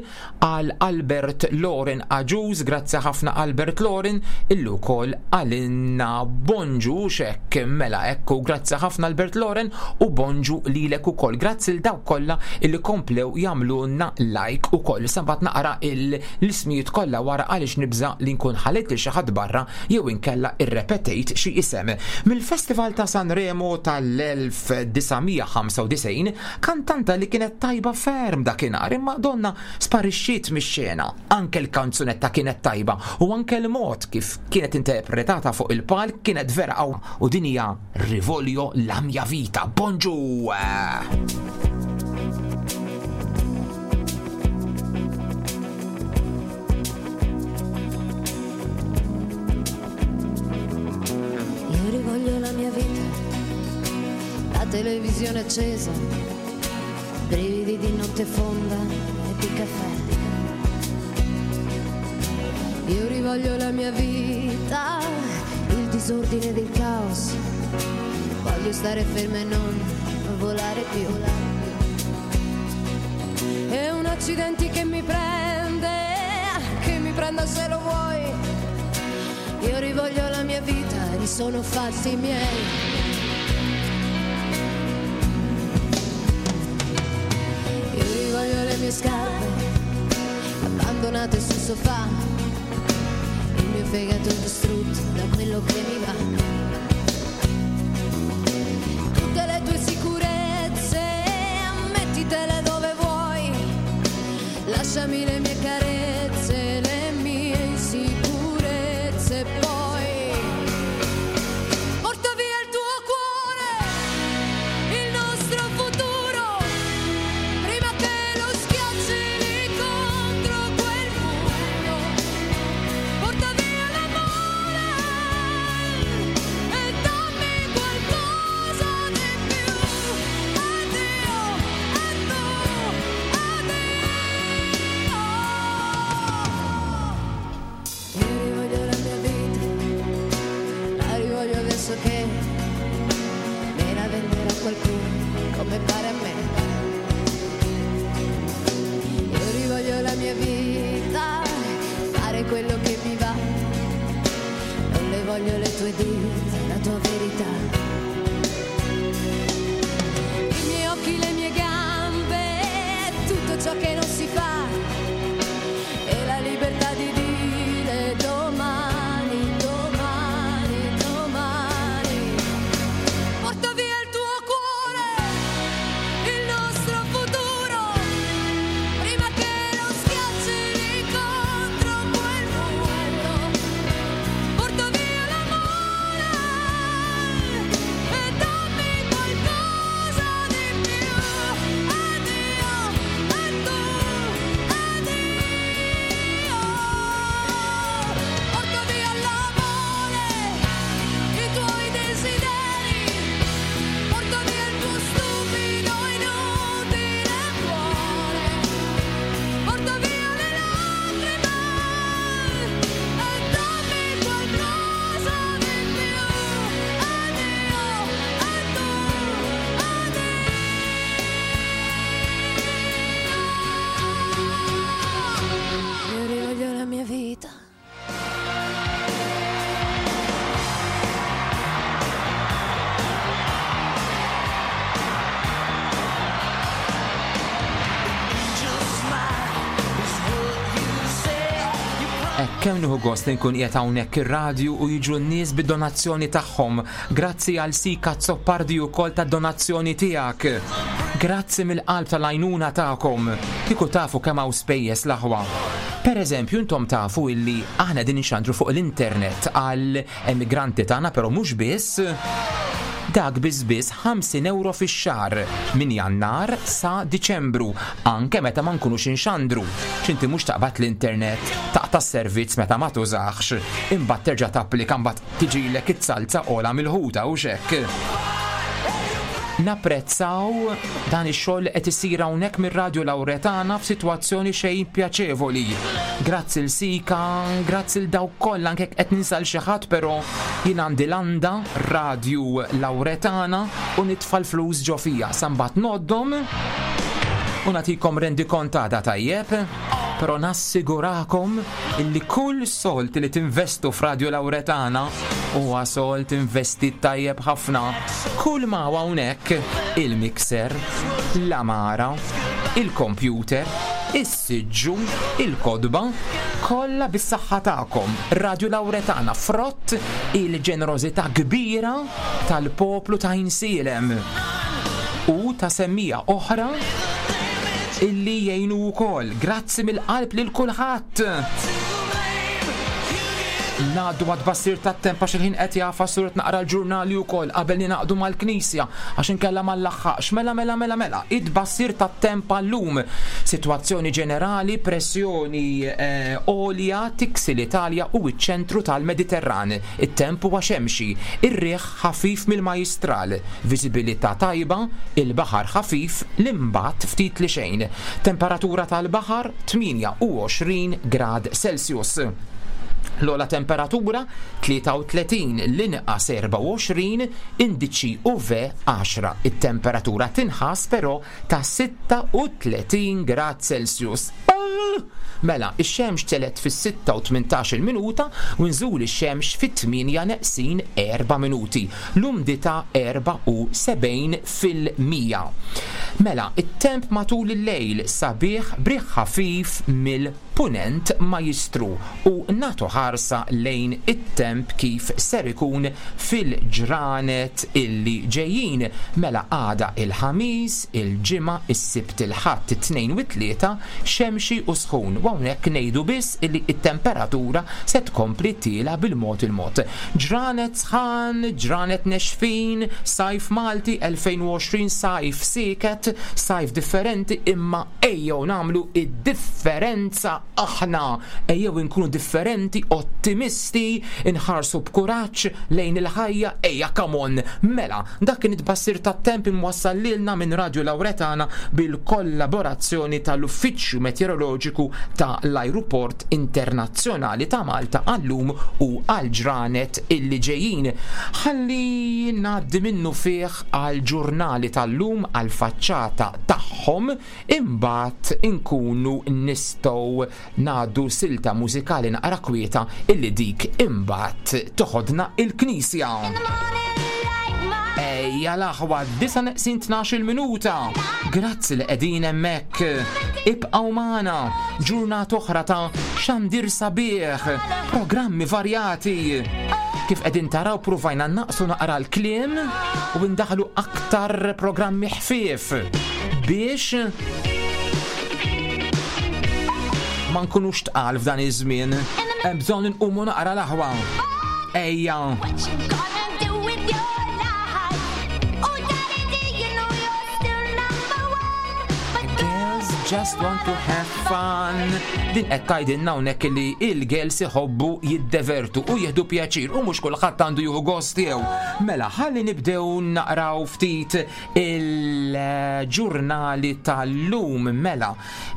għal Albert Loren Agius, grazzi ħafna Albert Loren, illi wkoll għalinna bonġu xek mela ekku, grazzi ħafna Albert Loren u bonġu lilek ukoll. Grazzi l dawk kollha illi komplew jagħmlulna like ukoll. Issa mbagħad naqra l-ismijiet kollha wara għaliex nibża' li nkun ħalejt lil xi ħadd barra jew inkella irrepetejt xi isem. Mill-Festival ta' Sanremo tal-1995 Kantanta li kienet tajba ferm dakinhar imma donnha sparixxiet mix-xena. Anke l-kanzunetta kienet tajba u anke l-mod kif kienet interpretata fuq il-palk kienet vera qawwa u din hija Rivoglio la mia vita. Bonġu! Io rivoglio la mia vita, la televisione accesa, brividi di notte fonda e di caffè. Io rivoglio la mia vita, il disordine del caos. Voglio stare ferma e non volare più. È un accidente che mi prende, che mi prenda se lo vuoi. Io rivoglio la mia vita, li sono fatti miei. Io rivoglio le mie scarpe abbandonate sul sofà, il mio fegato distrutto da quello che mi va. Tutte le tue sicurezze, mettitele dove vuoi, lasciami le mie carezze, le mie insicurezze, poi porta via il tuo cuore, il nostro futuro, prima che lo schiacci lì contro quel muro. Porta via l'amore, Kemm nieħu gost li nkun qiegħed hawnhekk ir-radju u jiġu n-nies bid-donazzjoni tagħhom. Grazzi għal Sika Azzopardi wkoll tad-donazzjoni tiegħek. Grazzi mill-qalb tal-għajnuna tagħkom. Kieku tafu kemm hawn spejjeż l-aħwa. Per eżempju, intom tafu illi aħna din inxandru fuq l-internet għal emigranti tagħna, però mhux biss. Dak biss biss 50 euro fix-xahar minn Jannar sa Diċembru, anke meta ma nkunux inxandru. X'inti mhux taqbad l-internet, taqta' s-servizz meta ma tużahx, imbagħad terġa' tapplika mbagħad tiġilek it-salza ogħla mill-ħuta u x'hekk. Napprezzaw dan ix-xogħol li qed isir hawnhekk mir-Radju Lawretana f'sitwazzjoni xejn pjaċevoli. Grazzi l Sika, grazzi l dawk kollha anke qed ninsa l xi ħadd però jien għandi landa Radju Lawretana u nitfa' l-flus ġo fija sa mbagħad ngħoddhom u nagħtikom rendikont għada tajjeb. Però nassigurakom illi kull sold li tinvestu f'Radju Lawretana huwa sold investit tajjeb ħafna. Kull ma hawn hawnhekk, il-mixer, l-amara, il-computer, is-siġġu, il-kotba, kollha bis-saħħa tagħkom. Radju Lawretana frott il-ġenerożità kbira tal-poplu ta' Għajnsielem u ta' semmiegħa oħra illi jgħinu wkoll. Grazzi mill-qalb lil kulħadd! Ngħaddu għat-tbassir tat-temp għax il-ħin qed jagħfas u rrid naqra l-ġurnali wkoll qabel ningħaqdu mal-Knisja għax inkella ma nlaħħaqx. Mela mela mela mela, it-tbassir tat-temp għal-lum. Sitwazzjoni ġenerali, pressjoni għolja tiksi l-Italja u ċ-ċentru tal-Mediterran. It-temp huwa xemxi, ir-riħ ħafif mill-Majjistral, viżibilità tajba, il-baħar ħafif, l-imbatt ftit li xejn. Temperatura tal-baħar 28 grad Celsius. L-ogħla temperatura 33, l-inqas 24, indiċi UV 10. It-temperatura tinħass però ta' 36 grad Celsius. Mela, ix-xemx telgħet fis-sitta u tmintax-il minuta u nżul ix-xemx fit-tmienja neqsin erba' minuti. L-umdità 74%. Mela, it-temp matul il-lejl sabiħ b'riħ ħafif mill Punent Majjistru u nagħtu ħarsa lejn it-temp kif ser ikun fil-ġranet illi ġejjin. Mela għada il-Ħamis, il-Ġimgħa, is-Sibt, il-Ħadd, it-Tnejn u t-Tlieta xemxi u sħun u hawnhekk ngħidu biss illi t-temperatura se tkompli tiela' bil-mod il-mod. Ġranet sħan, ġranet nexfin, sajf Malti 2020 sajf sieket, sajf differenti imma Ejjew nagħmlu d-differenza aħna! Ejjew inkunu differenti, ottimisti, inħarsu b'kuraġġ lejn il-ħajja, ejja come on! Mela, dak kien it-tbassir tat-temp imwassal lilna minn Radju Lawretana bil-kollaborazzjoni tal-Uffiċċju Meteoroloġiku ta' l-Ajruport Internazzjonali ta' Malta għal-lum u għall-ġranet illi ġejjin. Ħalli ngħaddi minnufih għall-ġurnali tal-lum għall-faċċata tagħhom, imbagħad inkunu nistgħu ngħaddu silta mużikali naqra kwieta illi dik imbagħad toħodna il-knisja. Ejja l-aħwa, disa neqsin 12 minuta. Grazzi li qegħdin hemmhekk. Ibqgħu magħna ġurnata oħra ta' xandir sabiħ, programmi varjati. Kif qegħdin taraw pruvajna naqsu naqra l-kliem u ndaħlu aktar programmi ħfief biex ma nkunux tqal f'dan iż-żmien. Hemm bżonn inqumu naqra l-aħwa. Ejja. Girls just want to have fun. Din qed tgħidilna hawnhekk li il-girls iħobbu jiddevertu u jieħdu pjaċir u mhux kulħadd għandu jieħu gost tiegħu. Mela ħalli nibdew naqraw ftit il-ġurnali tal-lum mela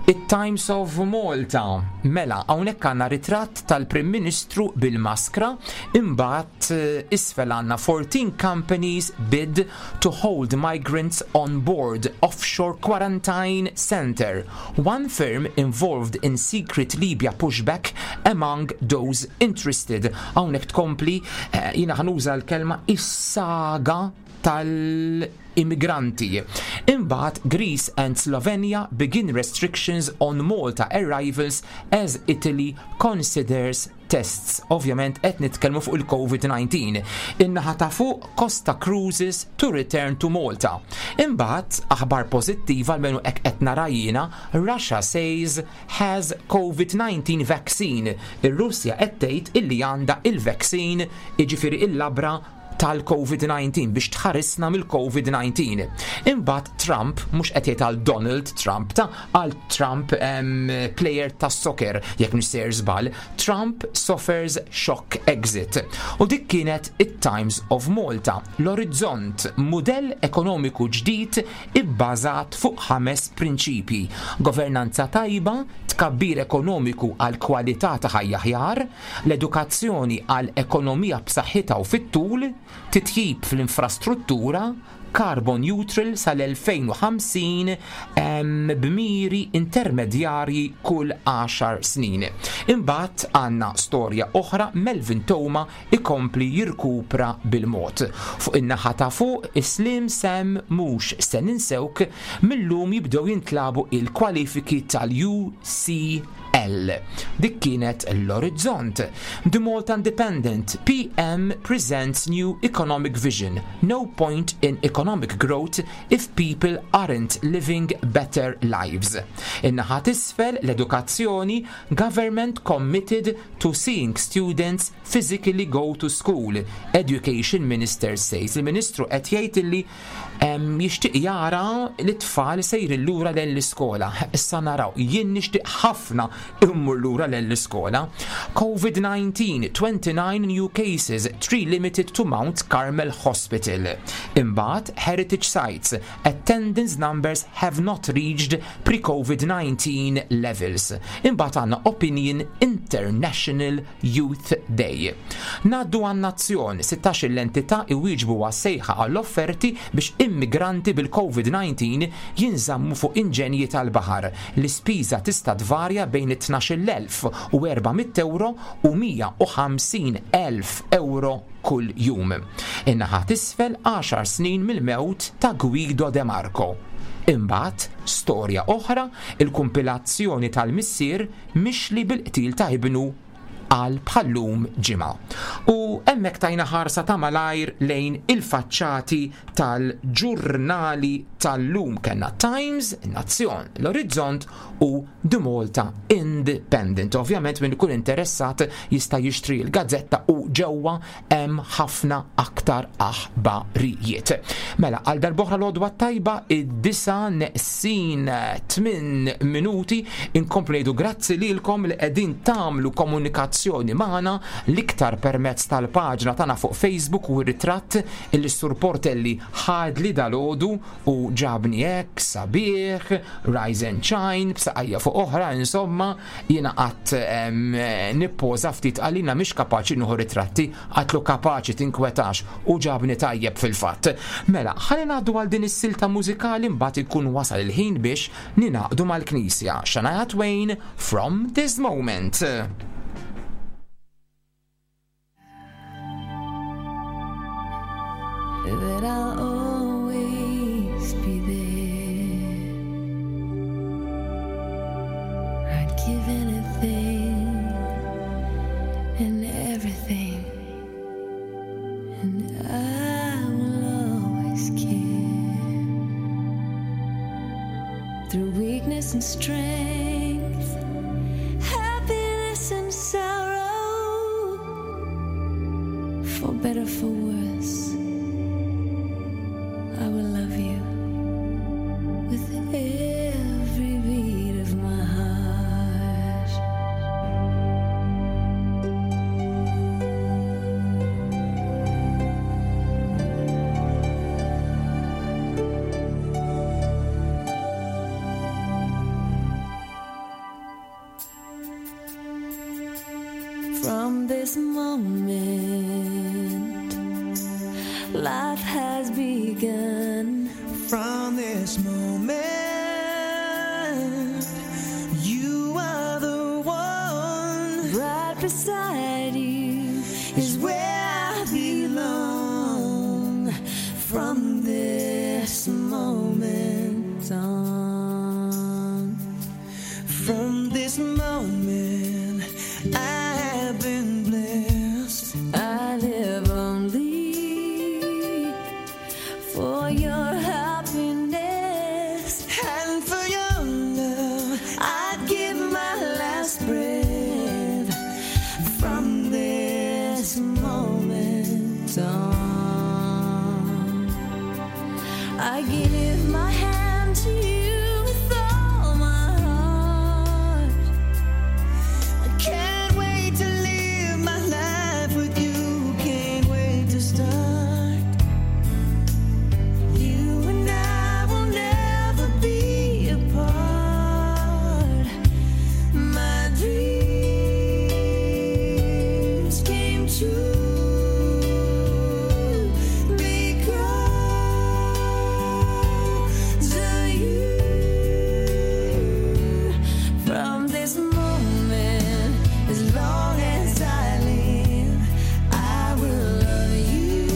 it-Times of Malta. Mela hawnhekk għandna ritratt tal-Prim Ministru bil-maskra, imbagħad eh, isfel għandna 14 companies bid to hold migrants on board offshore quarantine center. One firm involved in secret Libya pushback among those interested. Hawnhekk tkompli eh, jiena ħanuża l-kelma is-saga. tal-immigranti. Imbagħad Greece and Slovenia begin restrictions on Malta arrivals as Italy considers tests. Ovvjament qed nitkellmu fuq il-COVID-19. In-naħa ta' fuq Costa Cruises to return to Malta. Imbagħad aħbar pożittiva almenu hekk qed nara jiena, Russia says has COVID-19 vaccine. Ir-Russja qed tgħid illi għandha il-vaccine, jiġifieri il-labra tal-COVID-19 biex tħarisna mill-COVID-19. Imbagħad Trump mhux qed jgħid għal Donald Trump ta' għal Trump player tas soccer jekk mhux sejjer żball, Trump suffers shock exit. U dik kienet it-Times of Malta, l-Orizzont, mudell ekonomiku ġdid ibbażat fuq ħames prinċipji: governanza tajba, tkabbir ekonomiku għal kwalità ta' ħajja aħjar, l-edukazzjoni għal ekonomija b'saħħitha u fit-tul, titjib fl-infrastruttura, carbon neutral sal-2050 b'miri intermedjarji kull 10 snin. Imbagħad għandna storja oħra, Melvin Theuma ikompli jirkupra bil-mod. Fuq in-naħa ta' fuq, Slim Sam mhux se ninsewk, mil-lum jibdew jintlagħbu il-kwalifiki tal-UCL. Dik kienet l-Orizzont. The Malta Independent, PM presents new economic vision. No point in economic growth if people aren't living better lives. In-naħa t'isfel, l-edukazzjoni, government committed to seeing students physically go to school. Education Minister says. Il-Ministru qed jgħid illi jixtieq jara li t-tfal sejrin lura lejn l-iskola. Issa naraw, jien nixtieq ħafna immur lura lejn l-iskola. COVID-19, 29 new cases, 3 limited to Mount Carmel Hospital. Imbagħad Heritage Sites, attendance numbers have not reached pre-COVID-19 levels. Imbagħad għandna Opinion International Youth Day. Ngħaddu għan-Nazzjon, 16 l-entità iwieġbu għas-sejħa għall-offerti biex immigranti bil-COVID-19 jinżammu fuq inġenji tal-baħar. L-ispiża tista' tvarja bejn 12,400 euro u 150,000 euro kull jum. In-naħa t'isfel, 10 snin mill-mewt ta' Guido De Marco. Imbagħad, storja oħra, il-kumpilazzjoni tal-missier mixli bil-qtil ta' ibnu għal bħallum ġimgħa. U hemmhekk tajna ħarsa ta' malajr lejn il-faċċati tal-ġurnali tal-lum. Kellna Times, Nazzjon, l-Orizzont u The Malta Independent. Ovvjament min ikun interessat jista' jixtri l-gazzetta u ġewwa hemm ħafna aktar aħbarijiet. Mela, għal darb'oħra l-għodwa tajba, id-disa neqsin 8 minuti, inkomplu ngħidu grazzi lilkom li qegħdin tagħmlu komunikazzjoni magħna l-iktar permezz tal-paġna tagħna fuq Facebook u r-ritratt illi Sur Portelli ħadli dal-għodu u ġabni hekk sabiħ, rise and shine, b'saqajja fuq oħra, insomma, jiena qatt nippoża ftit għalina mhix kapaċi nieħu ritratti, għatlu kapaċi tinkwetax u ġabni tajjeb fil-fatt. Mela, ħalli ngħaddu għal din is-silta mużikali mbagħad ikun wasal il-ħin biex ninaqdu mal-Knisja. Shania Twain, From This Moment. That I'll always be there. I'd give anything and everything, and I will always care. Through weakness and strength, happiness and sorrow, for better, for worse, I will love you with every beat of my heart. From this moment, life has begun. From this moment, you are the one. Right beside you is where I belong. From moment on. From this moment, I have been blessed. I live only for your happiness. And for your love, I'd give my last breath. From this moment on, I give my hand to you with all my heart. I can't wait to live my life with you. Can't wait to start. You and I will never be apart. My dreams came true because of you. From this moment, As long as I live, I will love you.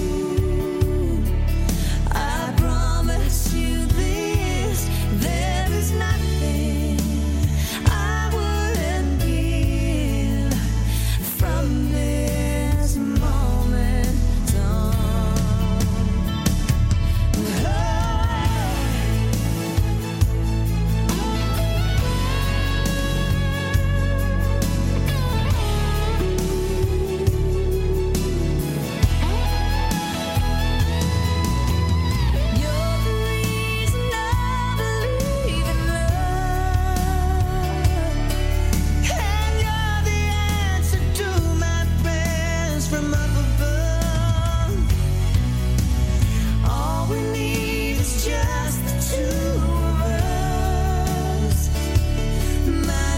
I promise you this, there is nothing I wouldn't give from this moment on. You're the reason I believe in love. And you're the answer to my prayers from up above. All we need is just the two of us. My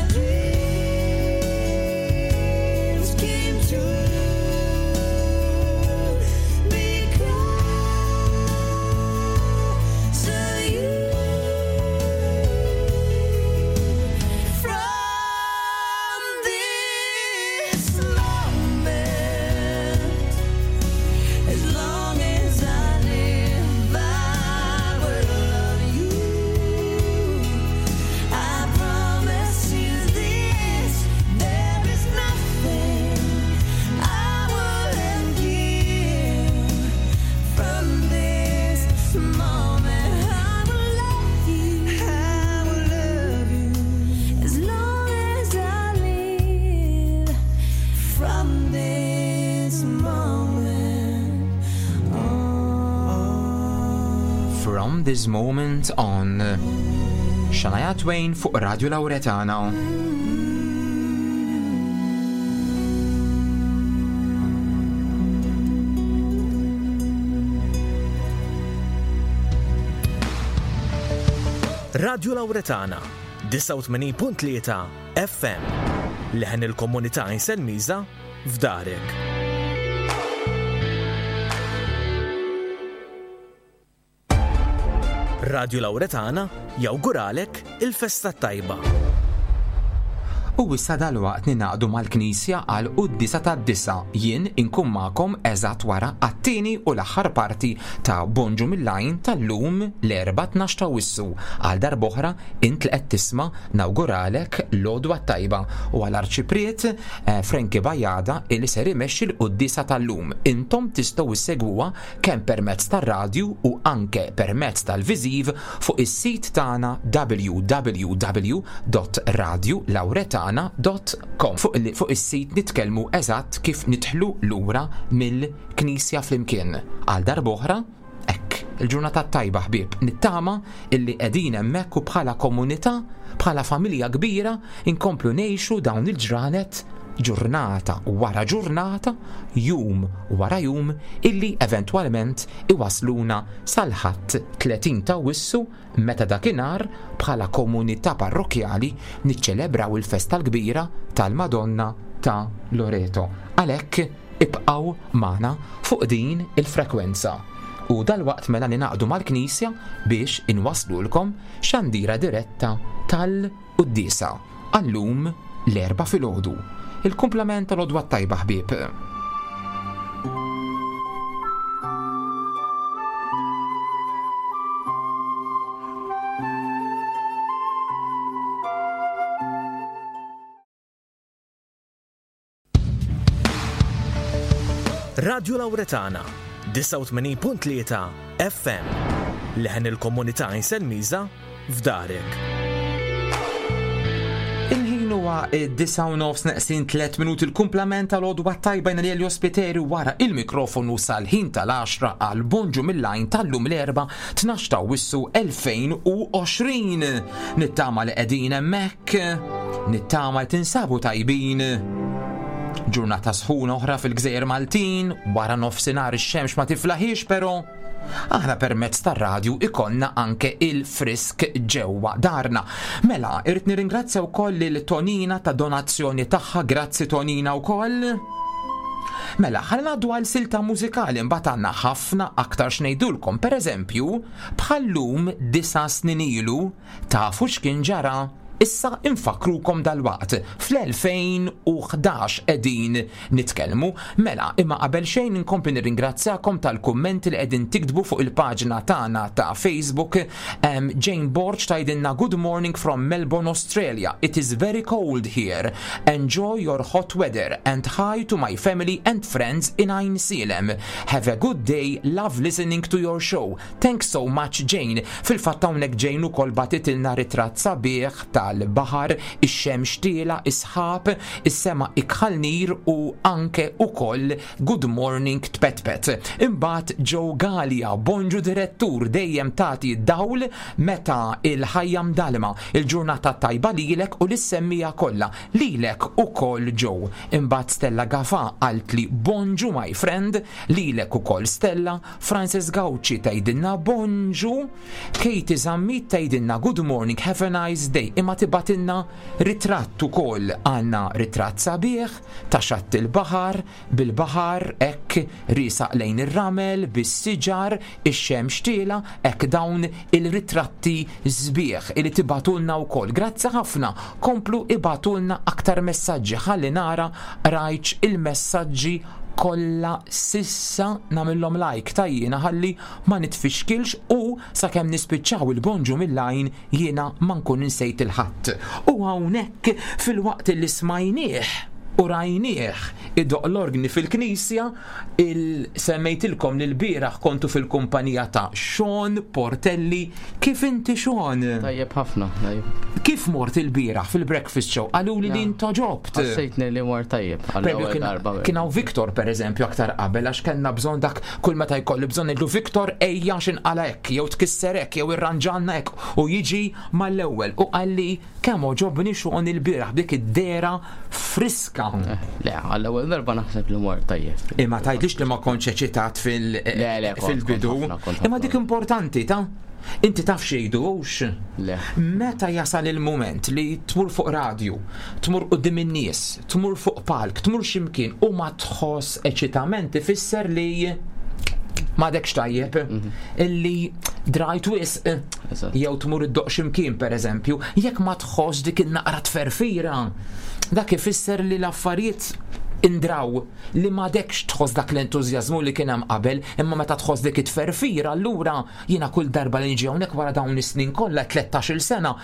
dreams came true because of you. From this moment, as long as I live, I will love you. I promise you this: there is nothing I wouldn't give. From this moment, I will love you I will love you. as long as I live. From this moment on. From this moment on. Shania Twain fuq Radio Lauretana. Radio Lauretana, 89.3 FM. Leħen il-komunità Inselmiża f'darek. Radio Lauretana jawguralek il-festa tajba. U issa dalwaqt ninaqdu mal-Knisja għal quddisa tad-disa jien inkun magħkom eżatt wara għat-tieni u l-aħħar parti ta' Bonġu mill-Għajn tal-lum l-4 12 ta' Wissu. Għal darb'oħra int li qed tisma' nawguralek l-għodwa tajba u għal arċipriet eh, Frankie Bajada illi ser imexxi l-quddisa tal-lum. Intom tistgħu issegwuha kemm permezz tar-radju u anke permezz tal-viżiv fuq is-sit tagħna www.radiolauretana.com. Fuq il- fuq is-sit nitkellmu eżatt kif nidħlu lura mill-Knisja flimkien. Għal darb'oħra, Ekk, il-ġurnata tajba ħbieb, nittama illi qegħdin hemmhekk u bħala komunità, bħala familja kbira, inkomplu ngħixu dawn il-ġranet ġurnata wara ġurnata, jum wara jum, illi eventwalment iwasluna sal-ħadd 30 ta' Wissu meta dakinhar bħala komunità parrokjali niċċelebraw il-festa l-kbira tal-Madonna ta' Loreto. Għalhekk ibqgħu magħna fuq din il-frekwenza. U dalwaqt mela ninaqdu mal-Knisja biex inwaslulkom xandira diretta tal-Quddisa għallum l-erba filgħodu. Il-kumplament tal-għodwa tajba ħbieb. Radio Lauretana, 89.3 FM. Leħen il-komunità Inselmiża f'darek. Il-ħin huwa id-disa u nofs neqsin 3 minuti l-kumplament tal-għodwa tajba jena li Ospiteri wara il-mikrofonu sal-ħin tal-10 għal bonġu mill-lajn tal-lum l-erba 12 ta' Awwissu 2020. Nittama li qegħdin hemmhekk, nittama li tinsabu tajbin. Ġurnata sħuna oħra fil-Gżejjer Maltin, wara nofsinhar ix-xemx ma tiflaħiex però aħna permezz tar-radju ikollna anke il-frisk ġewwa darna. Mela, irrid nirringrazzja wkoll lil Tonina ta' donazzjoni tagħha, grazzi Tonina wkoll. Mela, ħalli ngħaddu għal silta mużikali mbagħad għandna ħafna aktar x'ngħidulkom. Pereżempju, bħal-lum disa' snin ilu, tafu x'kien ġara? Issa infakkrukom dalwaqt, fl-2011 qegħdin nitkellmu. Mela, imma qabel xejn inkompli nirringrazzjakom tal-kummenti li qegħdin tiktbu fuq il-paġna tagħna ta' Facebook. Jane Borg tgħidilna good morning from Melbourne, Australia. It is very cold here. Enjoy your hot weather and hi to my family and friends in Għajnsielem. Have a good day, love listening to your show. Thanks so much Jane. Fil-fatt hawnhekk Jane ukoll bagħtitilna ritratt sabiħ tal-baħar, ix-xemx tiela, is-sħab, is-sema ikħal nir u anke ukoll good morning tpetpet. Imbagħad Joe Galea, bonġu direttur, dejjem tagħti d-dawl meta il-ħajja mdallma. Il-ġurnata t-tajba lilek u lis-semmiegħa kollha. Lilek ukoll Joe. Imbagħad Stella Gafà qaltli bonġu my friend, lilek ukoll Stella. Frances Gauci tgħidilna bonġu, Katie Zammit tgħidilna good morning, have a nice day, imma tibgħatilna ritratt ukoll. Għandna ritratt sabiħ ta' xatt il-baħar, bil-baħar hekk riesaq lejn ir-ramel, bis-siġar, ix-xemx tiela', hekk dawn il-ritratti sbieħ li tibgħatulna wkoll. Grazzi ħafna, komplu ibgħatulna aktar messaġġi ħalli nara qrajtx il-messaġġi kollha s'issa nagħmilhom like ta' jiena ħalli ma nitfixkilx u sakemm nispiċċaw il-bonġu mill-għajn jiena ma nkun insejt 'il ħadd. U hawnhekk filwaqt li smajnieh u rajnieh idoqq l-orgni fil-knisja, il semmejtilkom li lbieraħ kontu fil-kumpanija ta' Sean Portelli. Kif inti Sean? Tajjeb ħafna, tajjeb. Kif mort ilbieraħ fil-breakfast show? Qaluli li intoġobt. Ħassejtni li mort tajjeb għall-ewwel darba. Kien hawn Victor pereżempju aktar qabel għax kellna bżonn dak kull meta jkolli bżonn ngħidlu Victor ejja għax inqala' hekk jew tkisser hekk jew irranġalna hekk u jiġi mal-ewwel u qalli Kemm għoġobni Sean ilbieraħ b'dik id-dehra friska. Le, għall-ewwel darba naħseb li mort tajjeb. Imma tgħidlix li ma kontx eċitat fil-bidu. Imma dik importanti ta' Inti taf xejdu hux? Le. Meta jasal il-mument li tmur fuq radju, tmur quddiem in-nies, tmur fuq palk, tmur x'imkien u ma tħoss eċitament ifisser li m'għadekx tajjeb, illi drajt wisq jew tmur iddoqq x'imkien pereżempju, jekk ma tħoss dik in-naqra tferfira, dak ifisser li l-affarijiet indraw li m'għadekx tħoss dak l-entużjażmu li kien hemm qabel, imma meta tħoss dik it-tferfira allura jiena kull darba li niġi hawnhekk wara dawn is-snin kollha 13-il sena.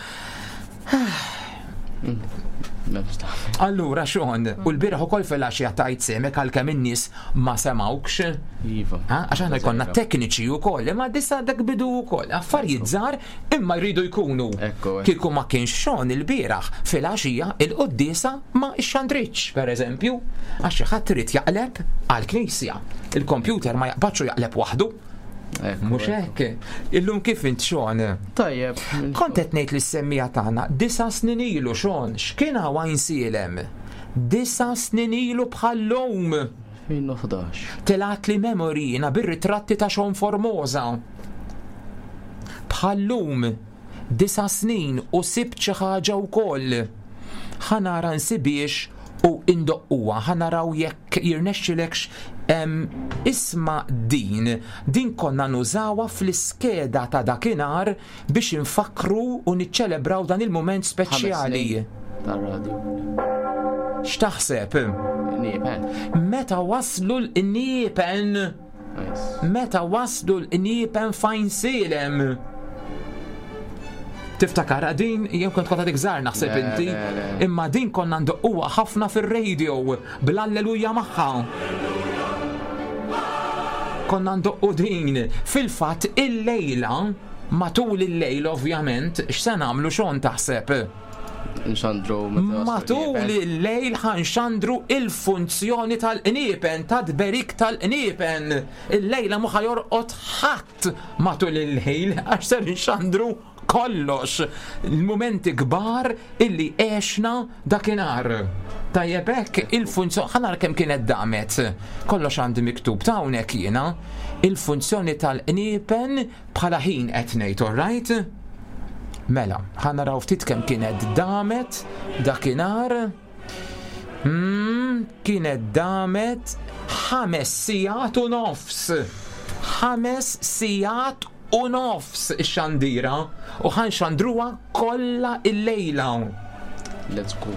Allura Sean, u l-bieraħ ukoll filgħaxija tajt sehmek għalkemm in-nies ma semgħukx. Iva. Għax aħna jkollna tekniċi wkoll, imma disa dak bidu wkoll. Affarijiet żgħar imma jridu jkunu. Kieku ma kienx Sean il-bieraħ filgħaxija il-quddiesa ma xxandritx, pereżempju, għax xi ħadd irid jaqleb għall-knisja. Il-kompjuter ma jaqbadx u jaqleb waħdu. Mhux hekk. Illum kif int Sean? Tajjeb. Kont qed ngħid lis-semmiegħa tagħna disa' snin ilu Sean, x'kien hawn Għajnsielem? Disa' snin ilu bħal-lum. 2011. Telgħatli memory jiena bir-ritratti ta' Sean Formosa. Bħal-lum. Disa' snin u sibt xi ħaġa wkoll. Ħa nara nsibhiex u indoqquha, ħa naraw jekk jirnexxilekx Isma' din, din konna nużawha fl-iskeda ta' dakinhar biex infakkru u niċċelebraw dan il-mument speċjali. Tar-radju. X'taħseb? Qniepen. Meta waslu l-qniepen? Meta waslu l-qniepen f'Għajnsielem? Tiftakar din jew kont kont għadek żgħar naħseb inti. Imma din konna ndoqquha ħafna fir-radio bl-alleluja magħha. Konna ndoqqu din. Fil-fatt illejla matul il-lejl ovvjament x'se nagħmlu xon taħseb? Nxandru Matul il-lejl ħanxandru il-funzjoni tal-qniepen, ta' tberik tal-qniepen. Illejla mhu ħajorqod ħadd matul il-lejl għax ser nxandru kollox il-mumenti kbar illi għexna dakinhar. Tajjeb hekk il-funzjoni ħa nara kemm kienet damet. Kollox għandi miktub ta' hawnhekk jiena. Il-funzjoni tal-qniepen bħala ħin qed ngħid, all right? Mela, ħa naraw ftit kemm kienet damet dakinhar. Hmm, kienet damet 5 sigħat u nofs. 5 sigħat u nofs ix-xandira u ħanxandruha kollha illejla. Let's go.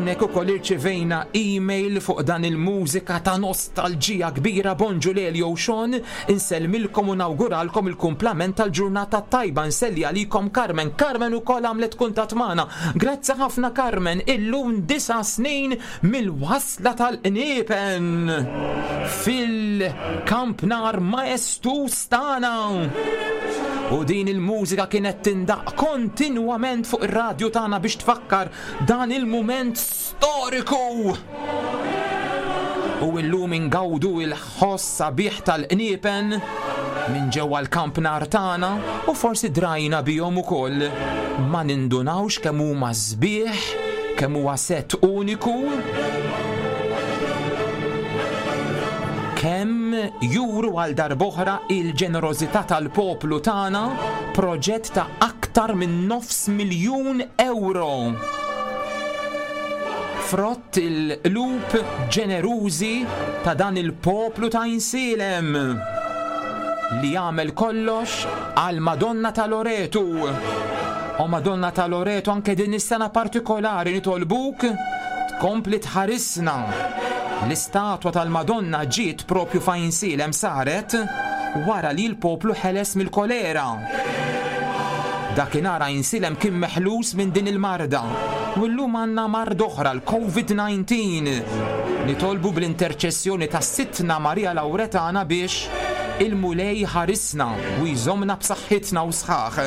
Hawnhekk ukoll irċivejna email fuq dan il-mużika ta' nostalġija kbira. Bonġu Lelio u Sean, insellmilkom u nawguralkom il-kumplament tal-ġurnata t-tajba. Nselli għalikom Carmen. Carmen ukoll għamlet kuntatt magħna. Grazzi ħafna Carmen, illum 9 snin mill-wasla tal-qniepen fil-kampnar maestuż tagħna. U din il-mużika kienet tindaqq kontinwament fuq ir-radju tagħna biex tfakkar dan il-mument storiku! U illum ingawdu il-ħoss sabiħ tal-qniepen minn ġewwa l-kampnar tagħna u forsi drajna bihom ukoll. Ma nindunawx kemm huma sbieħ, kemm huwa sett uniku. Kemm juru għal darb'oħra il-ġenerożità tal-poplu tagħna, proġett ta' aktar minn nofs miljun ewro. Frott il-qlub ġenerużi ta' dan il-poplu ta' Għajnsielem li jagħmel kollox għal Madonna ta' Loretu. O Madonna ta' Loretu anke din is-sena partikolari nitolbuk tkompli tħarisna. L-istatwa tal-Madonna ġiet propju f'Għajnsielem saret wara li l-poplu ħeles mill-kolera. Dakinhar Għajnsielem kien meħlus minn din il-marda u llum għandna marda oħra, l-Covid-19. Nitolbu bl-interċessjoni ta' Sidtna Marija Lawretana biex il-Mulej jħarisna u jżommna b'saħħitna u sħaħ.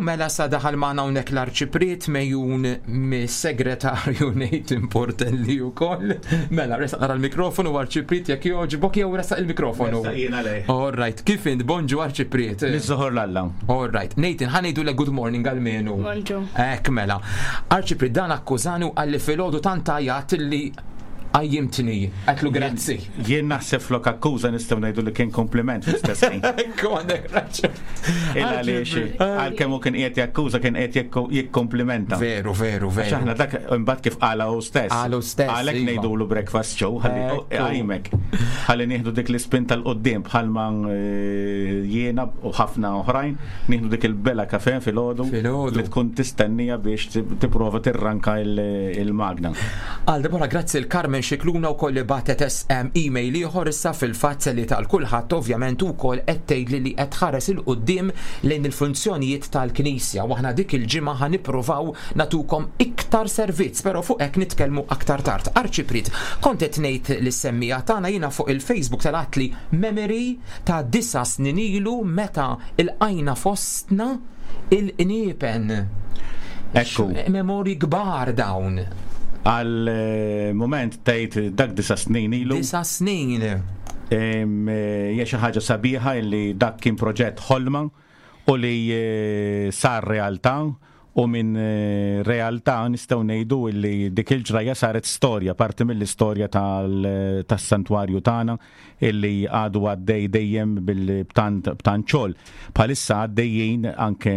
mela sa daħal magħna hawnhekk l-Arċipriet mejjun mis-segretarju Nathan Portelli wkoll. Mela, resaq nara l-mikrofonu Arċipriet jekk jogħġbok jew resaq il-mikrofonu. Resaq jiena lej. All right, kif int bonġu Arċipriet? Niżżoħor l-Alla. All right, Nathan ħa ngħidulek good morning għalmenu. Bonġu. Hekk mela. Arċipriet dan akkużani u qalli filgħodu tant għajat li Qajjimtni, għedtlu grazzi. Jien naħseb flok akkuża nistgħu ngħidu li kien kompliment fl-istess ħin. Ekku għandek raġun. Il għaliex għalkemm hu kien qiegħed jakkuża kien qiegħed jikkomplimenta. Veru, veru, veru. Għax aħna dak imbagħad kif qala hu stess. Qalu stess. Għalhekk iva. ngħidulu breakfast show ħalli qajmek. Ħalli nieħdu dik l-ispinta l qudiem bħalma eh, jiena u ħafna oħrajn nieħdu dik il-bela kafe filgħodu li tkun tistennija biex tipprova tirranka il-magna. Għal darb'oħra grazzi l Carmen Scicluna wkoll li bagħtet SM email ieħor issa fil-fatt li tal kulħadd ovvjament ukoll qed tgħidli li qed tħares 'il quddiem lejn il-funzjonijiet tal-Knisja u aħna dik il-ġimgħa ħa nippruvaw nagħtukom iktar servizz però fuq hekk nitkellmu aktar tard. Arċipriet, kont qed ngħid lis-semmiegħa tagħna jiena fuq il-Facebook telgħatli memory ta' disa' snin ilu meta lqajna fostna Il-qniepen. Ekku. Memorji kbar dawn. Għal eh, moment tgħid dak disa snin ilu. Disa snin. Eh, hija xi ħaġa sabiħa li dak kien proġett ħolma u li eh, sar realtà u minn realtà nistgħu ngħidu li dik il-ġrajja saret storja, parti mill-istorja tas-santwarju tagħna illi għadu għaddej dejjem b'tant xogħol. Bħalissa għaddejjin anke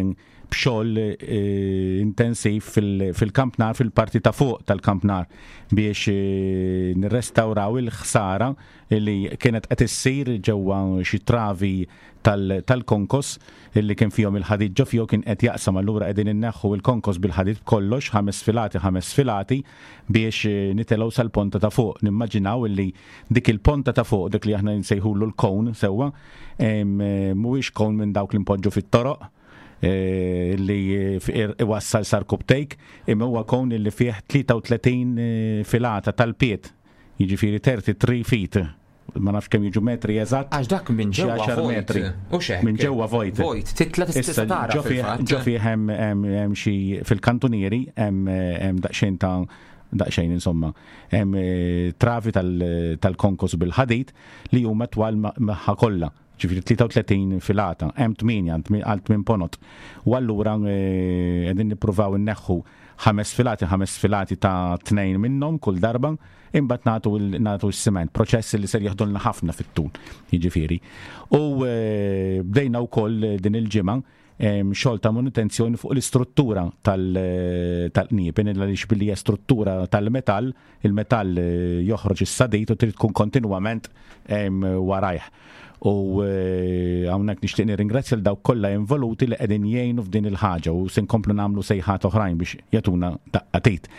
b'xogħol eh, intensiv fil-kampnar, fil-parti ta' fuq tal-kampnar biex eh, nirrestawraw il-ħsara li kienet qed issir ġewwa xi travi tal-konkos illi kien fihom il-ħadid ġo fihom kien qed jaqsam allura qegħdin inneħħu il-konkos bil-ħadid b'kollox ħames filati ħames filati biex eh, nitelgħu sal-ponta ta' fuq. Nimmaġinaw illi dik il-ponta ta' fuq, dik li aħna nsejħulu l-kon sewwa, eh, mhuwiex kon minn dawk li npoġġu fit-toroq, eh, li iwassal sar kubtejk, imma huwa kon li fih 33 filata tal-piet, jiġifieri 33 feet ma nafx kemm jiġu metri eżatt. Għax dak minn ġewwa vojt. Metri. U xek. Minn ġewwa vojt. Vojt, titla tista' tara. Ġo fih hemm xi fil-kantunieri hemm daqsxejn ta' daqsxejn insomma, hemm eh, travi tal-konkos bil-ħadid li huma twal magħha kollha ġifiri 33 filata, hemm 8 għal 8 ponot. U allura eh, qegħdin nippruvaw inneħħu ħames filati, ħames filati ta' tnejn minnhom kull darba, imbagħad nagħtu nagħtu s-siment, proċess li ser jaħdulna ħafna fit-tul, jiġifieri. U eh, bdejna wkoll din il-ġimgħa xogħol ta' manutenzjoni fuq l-istruttura eh, tal-qniepen, għaliex billi hija struttura tal-metall, il-metall eh, joħroġ is-sadid u trid tkun kontinwament warajh. U eh, hawnhekk nixtieq nirringrazzja l dawk kollha involuti li qegħdin jgħinu f'din il-ħaġa u se nkomplu nagħmlu sejħat oħrajn biex jagħtuna daqqatit.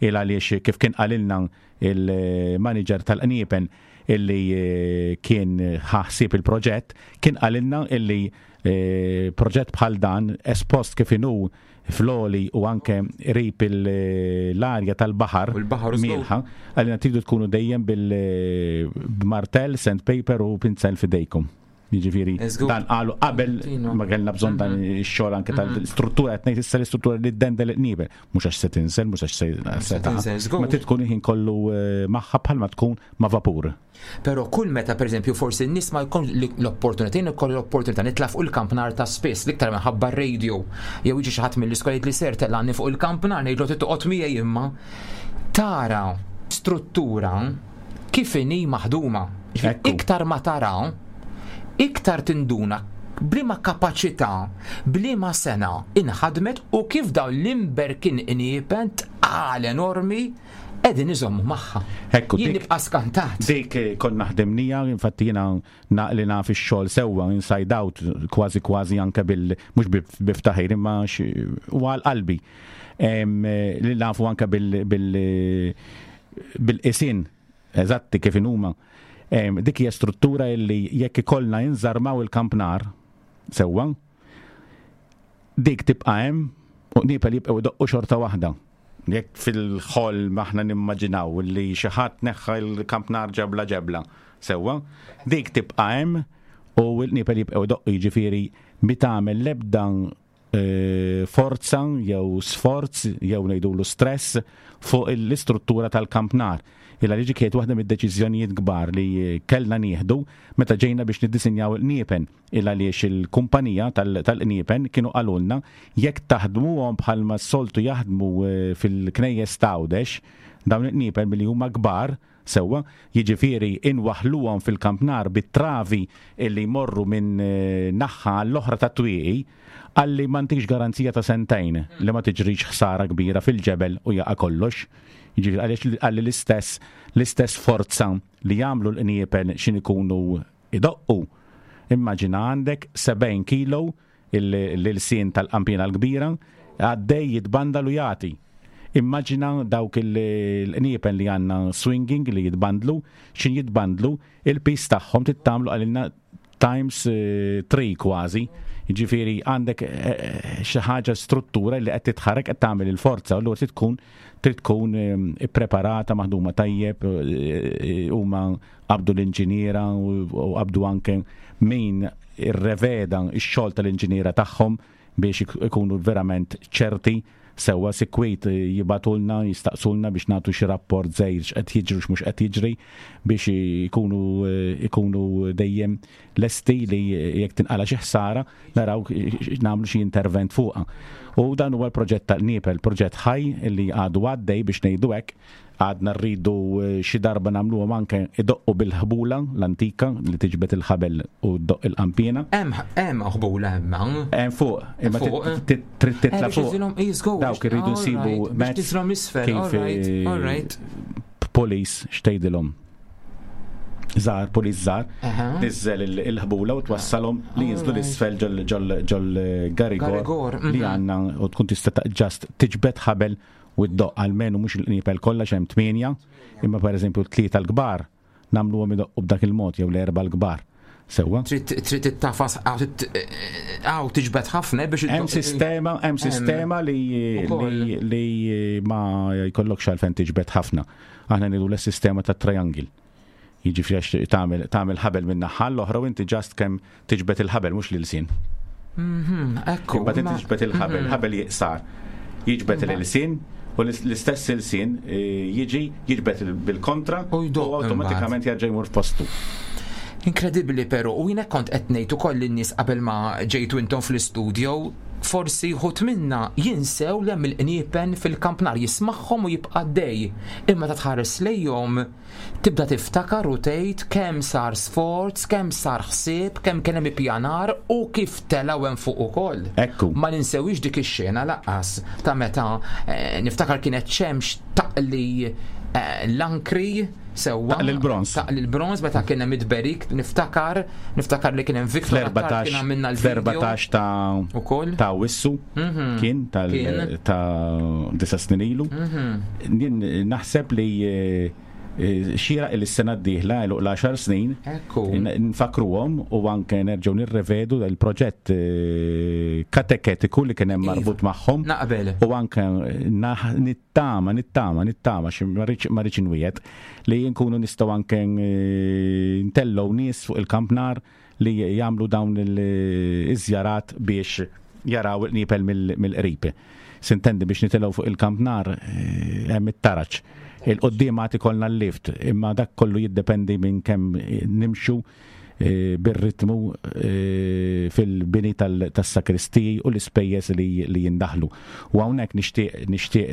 Il għaliex kif kien qalilna il-manager tal-qniepen illi eh, kien ħaħsib il-proġett, kien qalilna illi eh, proġett bħal dan espost kif inhu fl-oli u anke rip l-arja tal-baħar mielħa, għalina tridu tkunu dejjem bil-martell, sandpaper u pinzel fidejkom. Jiġifieri dan qalu qabel ma kellna bżonn dan mhm. ix-xogħol anke tal-struttura qed ngħid issa l-istruttura li ddendel qniebel, mhux għax se tinsel, mhux għax se ma trid tkun il-ħin kollu eh, magħha bħalma tkun ma' vapur. Però kull meta pereżempju forsi n-nies ma jkun l-opportunità, jien ikolli l-opportunità nitla' fuq il-kamp nhar ta' spiss, l-iktar minħabba r-radio. Jew jiġi xi ħadd mill-iskola jgħidli ser tellgħani fuq il-kamp nhar ngħidlu trid toqgħod miegħi imma tara struttura kif inhi maħduma. Iktar ma tara, iktar tinduna b'liema kapaċità, b'liema sena inħadmet u kif dawn l-imberkin qniepen tqal enormi qegħdin iżommu magħha. Ekku, Jien nibqa' skantat. Dik eh, konna ħdimnija, infatti jiena li naf ix-xogħol sewwa inside out kważi kważi anke bil mhux biftaħir imma u għal qalbi. Eh, li nafu anke bil bil bil-qisin eżatti kif inhuma. Dik hija struttura li jekk ikollna inżarmaw il-kampnar sewwa, dik tibqa' hemm u qniepel jibqgħu jdoqqu xorta waħda. Jekk fil-ħolm aħna nimmaġinaw li xi ħadd neħħa l-kampnar ġebla ġebla, sewwa, dik tibqa' hemm u l-qniepel jibqgħu jdoqqu jiġifieri mi tagħmel l-ebda forza jew sforz jew ngħidulu stress fuq l-istruttura tal-kampnar. Illa li kienet waħda mid-deċiżjonijiet kbar li kellna nieħdu meta ġejna biex niddisinjaw il-qniepen. Il għaliex il-kumpanija tal-qniepen kienu qalulna jekk taħdmuhom bħalma s-soltu jaħdmu fil-knejjes t'Għawdex, dawn il-qniepen billi huma kbar, Sewwa, jiġifieri inwaħħluhom fil-kampnar bit-travi li jmorru minn naħha għall-oħra tat-twieqi, qalli ma ntikx garanzija ta' sentejn li ma tiġrix ħsara kbira fil-ġebel u jaqa' kollox. Jiġifieri għaliex qalli l-istess l-istess forza li jagħmlu l-qniepen x'in ikunu idoqqu. Immaġina għandek 70 kilo l-ilsien tal-qanpiena l-kbira għaddej jitbandal u jagħti. Immaġina dawk il-qniepen li għandna swinging li jitbandlu, x'in jitbandlu, il-piż tagħhom trid tagħmlu qalilna times 3 kważi. Jiġifieri għandek xi ħaġa struttura li qed titħarrek qed tagħmel il-forza, allura trid tkun trid tkun ippreparata, maħduma tajjeb, huma qabdu l-inġiniera u qabdu anke min irreveda x-xogħol tal-inġiniera tagħhom biex ikunu verament ċerti sewwa. Sikwit jibagħtulna, jistaqsulna biex nagħtu xi rapport żgħir x'qed jiġri u x'mhux qed jiġri biex ikunu ikunu dejjem lesti li jekk tinqala' xi ħsara naraw nagħmlu xi intervent fuqha. U dan huwa l-proġett tal-Qniepel, proġett ħaj li għadu għaddej biex ngħidu hekk. Għadna rridu xi darba nagħmluhom anke idoqqu bil-ħbula l-antika li tiġbed il-ħabel u ddoqq il-qanpiena. Hemm hemm ħbula hemm hawn. Hemm fuq, imma trid titla' fuq. Dawk irridu nsibu mezz kif police x'tgħidilhom. Żgħar, police żgħar, niżżel il-ħbula u twassalhom li jinżlu l-isfel ġol garigor li għandna u tkun tista' ġast tiġbed ħabel u ddoqq almenu mhux il-qniepel kollha x'hemm tmienja, imma pereżempju t-tlieta l-kbar nagħmluhom idoqqu b'dak il-mod jew l-erba' l-kbar. Sewwa? Trid trid ittafas hawn tiġbed ħafna biex Hemm sistema, hemm sistema li li li ma jkollokx għalfejn tiġbed ħafna. Aħna ngħidu l-sistema ta' triangle. Jiġifieri għax tagħmel tagħmel ħabel minn naħa l-oħra u inti ġast kemm tiġbed il-ħabel mhux l-ilsien. Mhm, ekku. Imbagħad inti tiġbed il-ħabel, ħabel jiqsar. Jiġbed l-ilsien u l-istess ilsien eh, jiġi jiġbed bil-kontra u awtomatikament jerġa' jmur f'postu. Inkredibbli però, u jiena kont qed ngħid ukoll lin-nies qabel ma ġejtu intom fl-istudio, forsi wħud minna jinsew li hemm il-qniepen fil-kampnar jismagħhom u jibqa' għaddej. Imma ta' tħares lejhom Tibda tiftakar u tgħid kemm sar sforz, kemm sar ħsieb, kemm kien hemm ippjanar u kif telgħu hemm fuq ukoll. Ekku. Ma ninsewhiex dik ix-xena lanqas ta' meta niftakar kienet xemx taqli l-ankri sewwa. Taqli l-bronż. Taqli l-bronż meta kien hemm it-tberik, niftakar, niftakar li kien hemm Victor Attard kien għamilna l-video. Fl-14 ta' Ukoll. ta' Awwissu kien tal ta' disa' snin ilu. Jien naħseb li xieraq li s-sena d-dieħla għeluq l-għaxar snin nfakkruhom u anke nerġgħu nirrevedu l-proġett kateketiku li kien hemm marbut magħhom. Naqbel. U anke nittama, nittama, nittama, xi ma rridx inwiegħed li nkunu nistgħu anke ntellgħu nies fuq il-kampnar li jagħmlu dawn iż-żjarat biex jaraw il-qniepel mill-qrib. Sintendi biex nitilgħu fuq il-kampnar hemm it-taraġ. Il-quddiem għad ikollna l-lift, imma dak kollu jiddependi minn kemm nimxu bir-ritmu fil-bini tas-sakristiji u l-ispejjeż li jindaħlu. U hawnhekk nixtieq nixtieq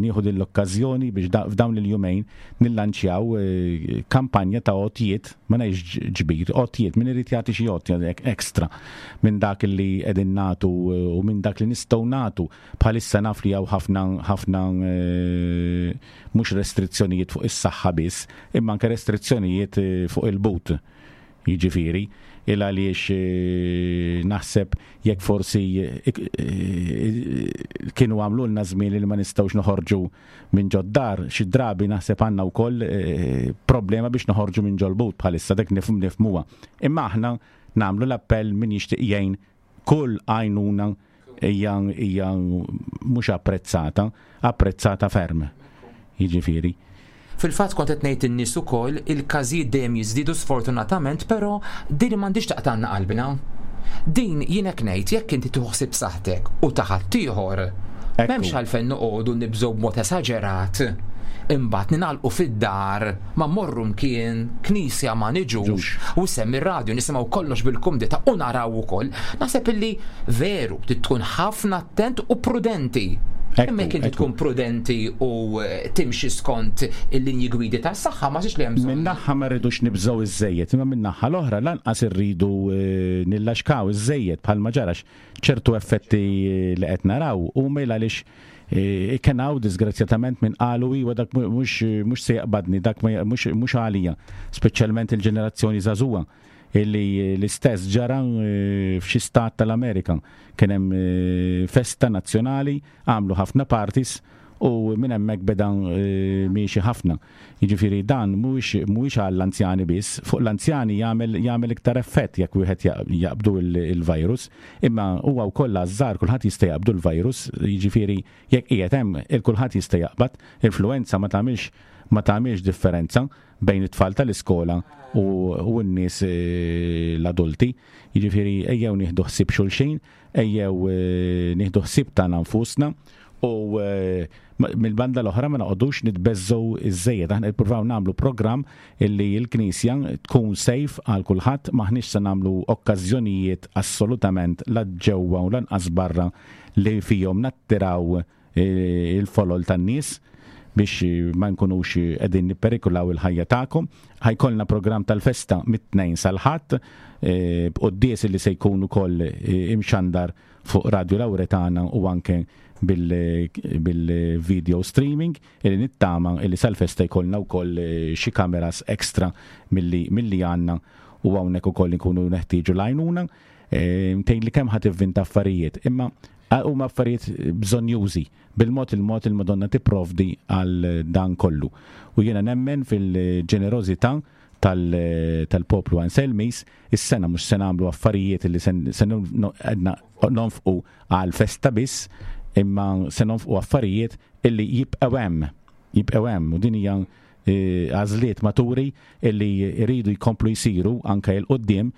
nieħu din l-okkażjoni biex f'dawn il-jumejn nillanċjaw kampanja ta' għotjiet, ma ngħidx ġbir, għotjiet, min irid jagħti xi għotja extra minn dak li qegħdin nagħtu u minn dak li nistgħu nagħtu. Bħalissa naf li hawn ħafna ħafna mhux restrizzjonijiet fuq is-saħħa biss, imma anke restrizzjonijiet fuq il-but. Jiġifieri, il għaliex naħseb jekk forsi kienu għamlulna żmien li ma nistgħux noħorġu minn ġod-dar, xi drabi naħseb għandna wkoll problema biex noħorġu minn ġol-but bħalissa, dak nifhmuha. Imma aħna nagħmlu l-appell min jixtieq jgħin kull għajnuna hija hija mhux apprezzata, apprezzata ferm. Jiġifieri. Fil-fatt kont qed ngħid in-nies ukoll il-każijiet dejjem jiżdiedu sfortunatament, però din m'għandhiex taqtgħalna qalbna. Din jien hekk ngħid jekk inti tieħu ħsieb saħħtek u ta' ħaddieħor, m'hemmx għalfejn noqogħdu nibżgħu b'mod esaġerat. Imbagħad ningħalqu fid-dar, ma mmorru mkien, knisja ma niġux, u semmi r-radju nisimgħu kollox bil-kumdità u naraw ukoll. Naħseb illi veru trid tkun ħafna attent u prudenti. Imma jekk inti tkun prudenti u eh, timxi skont il-linji gwidi tas-saħħa ma li hemm bżonn. Min-naħa ma rridux nibżgħu iżżejjed, imma min-naħa l-oħra lanqas irridu eh, nillaxkaw iżżejjed bħalma ġarax ċertu effetti eh, li qed naraw huma għaliex kien hawn disgrazzjatament min qalu iwa dak mhux se jaqbadni, dak mhux għalija, speċjalment il-ġenerazzjoni żagħżugħa illi l-istess ġara eh, f'xi stat tal-Amerika. Kien hemm eh, festa nazzjonali, għamlu ħafna parties u minn hemmhekk beda eh, miexi ħafna. Jiġifieri dan mhuwiex għall-anzjani biss, fuq l-anzjani jagħmel jagħmel iktar effett jekk wieħed jaqbdu il-virus, imma huwa wkoll għaż-żgħar kulħadd jista' jaqbdu l-virus, jiġifieri jekk qiegħed hemm il-kulħadd jista' jaqbad, influenza ma tagħmilx ma tagħmilx differenza bejn it-tfal tal-iskola u n-nies eh, l-adulti. Jiġifieri ejjew nieħdu ħsieb xulxin, ejjew eh, nieħdu ħsieb tagħna nfusna u eh, mill-banda l-oħra ma noqogħdux nitbeżżgħu iżżejjed. Aħna nippruvaw nagħmlu programm illi l-Knisja tkun safe għal kulħadd, m'aħniex se nagħmlu okkażjonijiet assolutament la ġewwa u lanqas barra li fihom nattiraw il-folol tan-nies biex ma nkunux qegħdin nipperikulaw il-ħajja tagħkom. Ħajkollna programm tal-festa mit-Tnejn sal-Ħadd eh, b'quddies li se jkun ukoll eh, imxandar fuq Radio Lauretana u anke bil-video streaming illi nittama illi sal-festa jkollna wkoll eh, xi kameras extra milli għandna u hawnhekk ukoll nkunu neħtieġu l-għajnuna. Tgħid li kemm ħa tivvinta affarijiet, imma huma affarijiet bżonjużi. Bil-mod il-mod il-Madonna tipprovdi għal dan kollu. U jiena nemmen fil-ġenerożità tal-poplu Anselmis, is-sena mhux se nagħmlu affarijiet li se nonfqu għal festa biss, imma se nonfqu affarijiet illi jibqgħu hemm. Jibqgħu hemm u din hija eh, għażliet maturi illi jridu jkomplu jsiru anke 'l quddiem.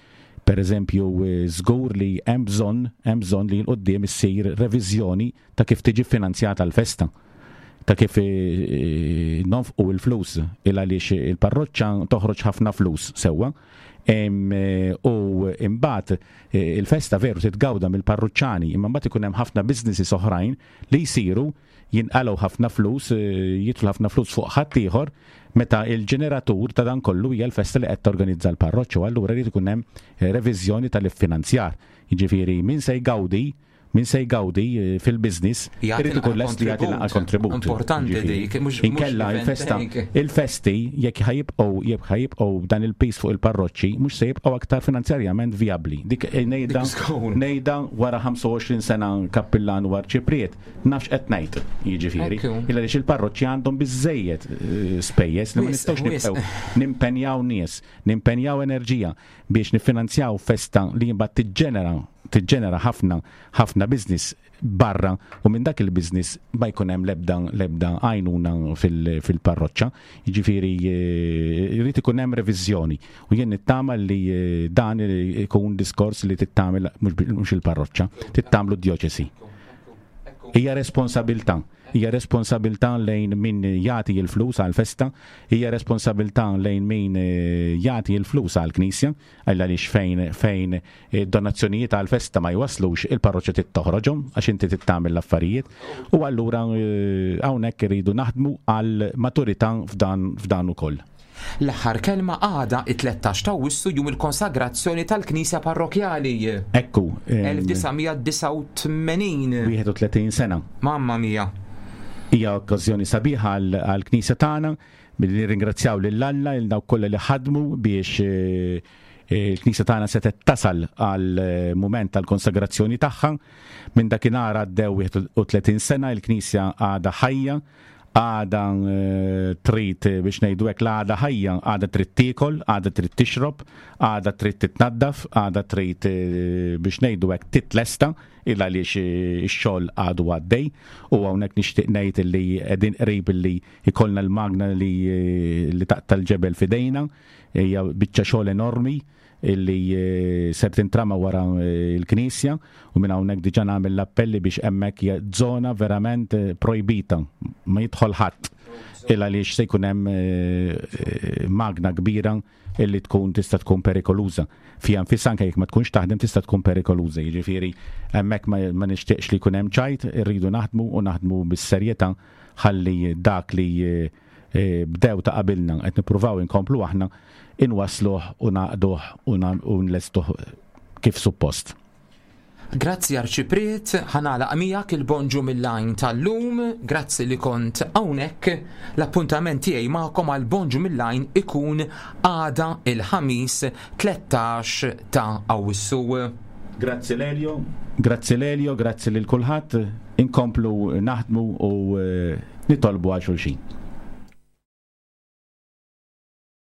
Per eżempju, eh, żgur li hemm bżonn hemm bżonn li 'l quddiem issir reviżjoni ta' kif tiġi finanzjata l-festa ta' kif eh, nonfqu l-flus il għaliex il-parroċċa toħroġ ħafna flus sewwa. U imbagħad il-festa veru titgawda mill-parruċċani, imma mbagħad ikun hemm ħafna businesses oħrajn li jsiru jinqalgħu ħafna flus, eh, jidħlu ħafna flus fuq ħaddieħor meta il-ġeneratur ta' dan kollu hija l-festa li qed torganizza l-parroċċa u allura jrid ikun hemm eh, reviżjoni tal-iffinanzjar. Jiġifieri min se jgawdi min se jgawdi eh, fil-biznis irid ikun lest li jagħti naqra kontribut. Importanti dik, mhux inkella il-festa il-festi jekk ħajibqgħu jekk ħajibqgħu dan il-pis fuq il-parroċċi mhux se jibqgħu aktar finanzjarjament vijabbli. Dik eh, ngħidha ngħidha wara 25 sena kappillan u arċipriet nafx qed ngħid, jiġifieri. Illa għaliex il-parroċċi għandhom biżejjed eh, spejjeż li ma nistgħux nibqgħu nimpenjaw nies, nimpenjaw enerġija biex niffinanzjaw festa li mbagħad tiġġenera tiġġenera ħafna ħafna business barra u minn dak il-business ma jkun hemm l-ebda l-ebda għajnuna fil-parroċċa. Jiġifieri eh, jrid ikun hemm reviżjoni u jien nittama li eh, dan ikun diskors li tittamel mhux il-parroċċa, tittamlu d-djoċesi. Hija responsabilità. Hija responsabilità lejn min jagħti l-flus għall-festa, hija responsabilità lejn min eh, jagħti l-flus għall-knisja, għaliex fejn fejn donazzjonijiet għall-festa ma jwaslux il-parroċċa trid toħroġhom għax inti trid tagħmel l-affarijiet. U allura eh, hawnhekk irridu naħdmu għal maturità f'dan f'dan ukoll. L-aħħar kelma għada it-13 ta' Awwissu jum il-konsagrazzjoni tal-Knisja Parrokjali. Ekku. 1989. 31 sena. Mamma mia. Hija okkażjoni sabiħa għall-Knisja tagħna billi nirringrazzjaw lil Alla il dawk kollha li ħadmu biex eh, il-Knisja tagħna setgħet tasal għal eh, mument tal-konsagrazzjoni tagħha. Minn dakinhar għaddew 31 sena il-Knisja għadha ħajja. Għada trid biex ngħidu hekk l-għada ħajja, għada trid tiekol, għada trid tixrob, għada trid titnaddaf, għada trid biex ngħidu hekk titlesta il għaliex ix-xogħol għadu għaddej u hawnhekk nixtieq ngħid li qegħdin qrib li jkollna l-magna li li taqta' l-ġebel f'idejna, hija biċċa xogħol enormi illi eh, ser tintrama wara eh, l-knisja u minn hawnhekk diġà nagħmel l-appelli biex hemmhekk hija żona verament eh, projbita ma jidħol ħadd il għaliex se jkun hemm magna kbira illi tkun tista' tkun perikoluża. Fija nfisha anke jekk ma tkunx taħdem tista' tkun perikoluża. Jiġifieri hemmhekk ma nixtieqx li jkun hemm ċajt, irridu naħdmu u naħdmu bis-serjetà ħalli dak li bdew ta' qabilna qed nippruvaw inkomplu aħna inwassluh u nagħqduh u nlestuh kif suppost. Grazzi Arċipriet, ħa nagħlaq miegħek il-Bonġu mill-Għajn tal-lum, grazzi li kont hawnhekk. L-appuntament tiegħi magħkom għal Bonġu mill-Għajn ikun għada il-Ħamis 13 ta' Awwissu. Grazzi Lelio, grazzi Lelio, grazzi lil kulħadd, inkomplu naħdmu u nitolbu għal xulxin.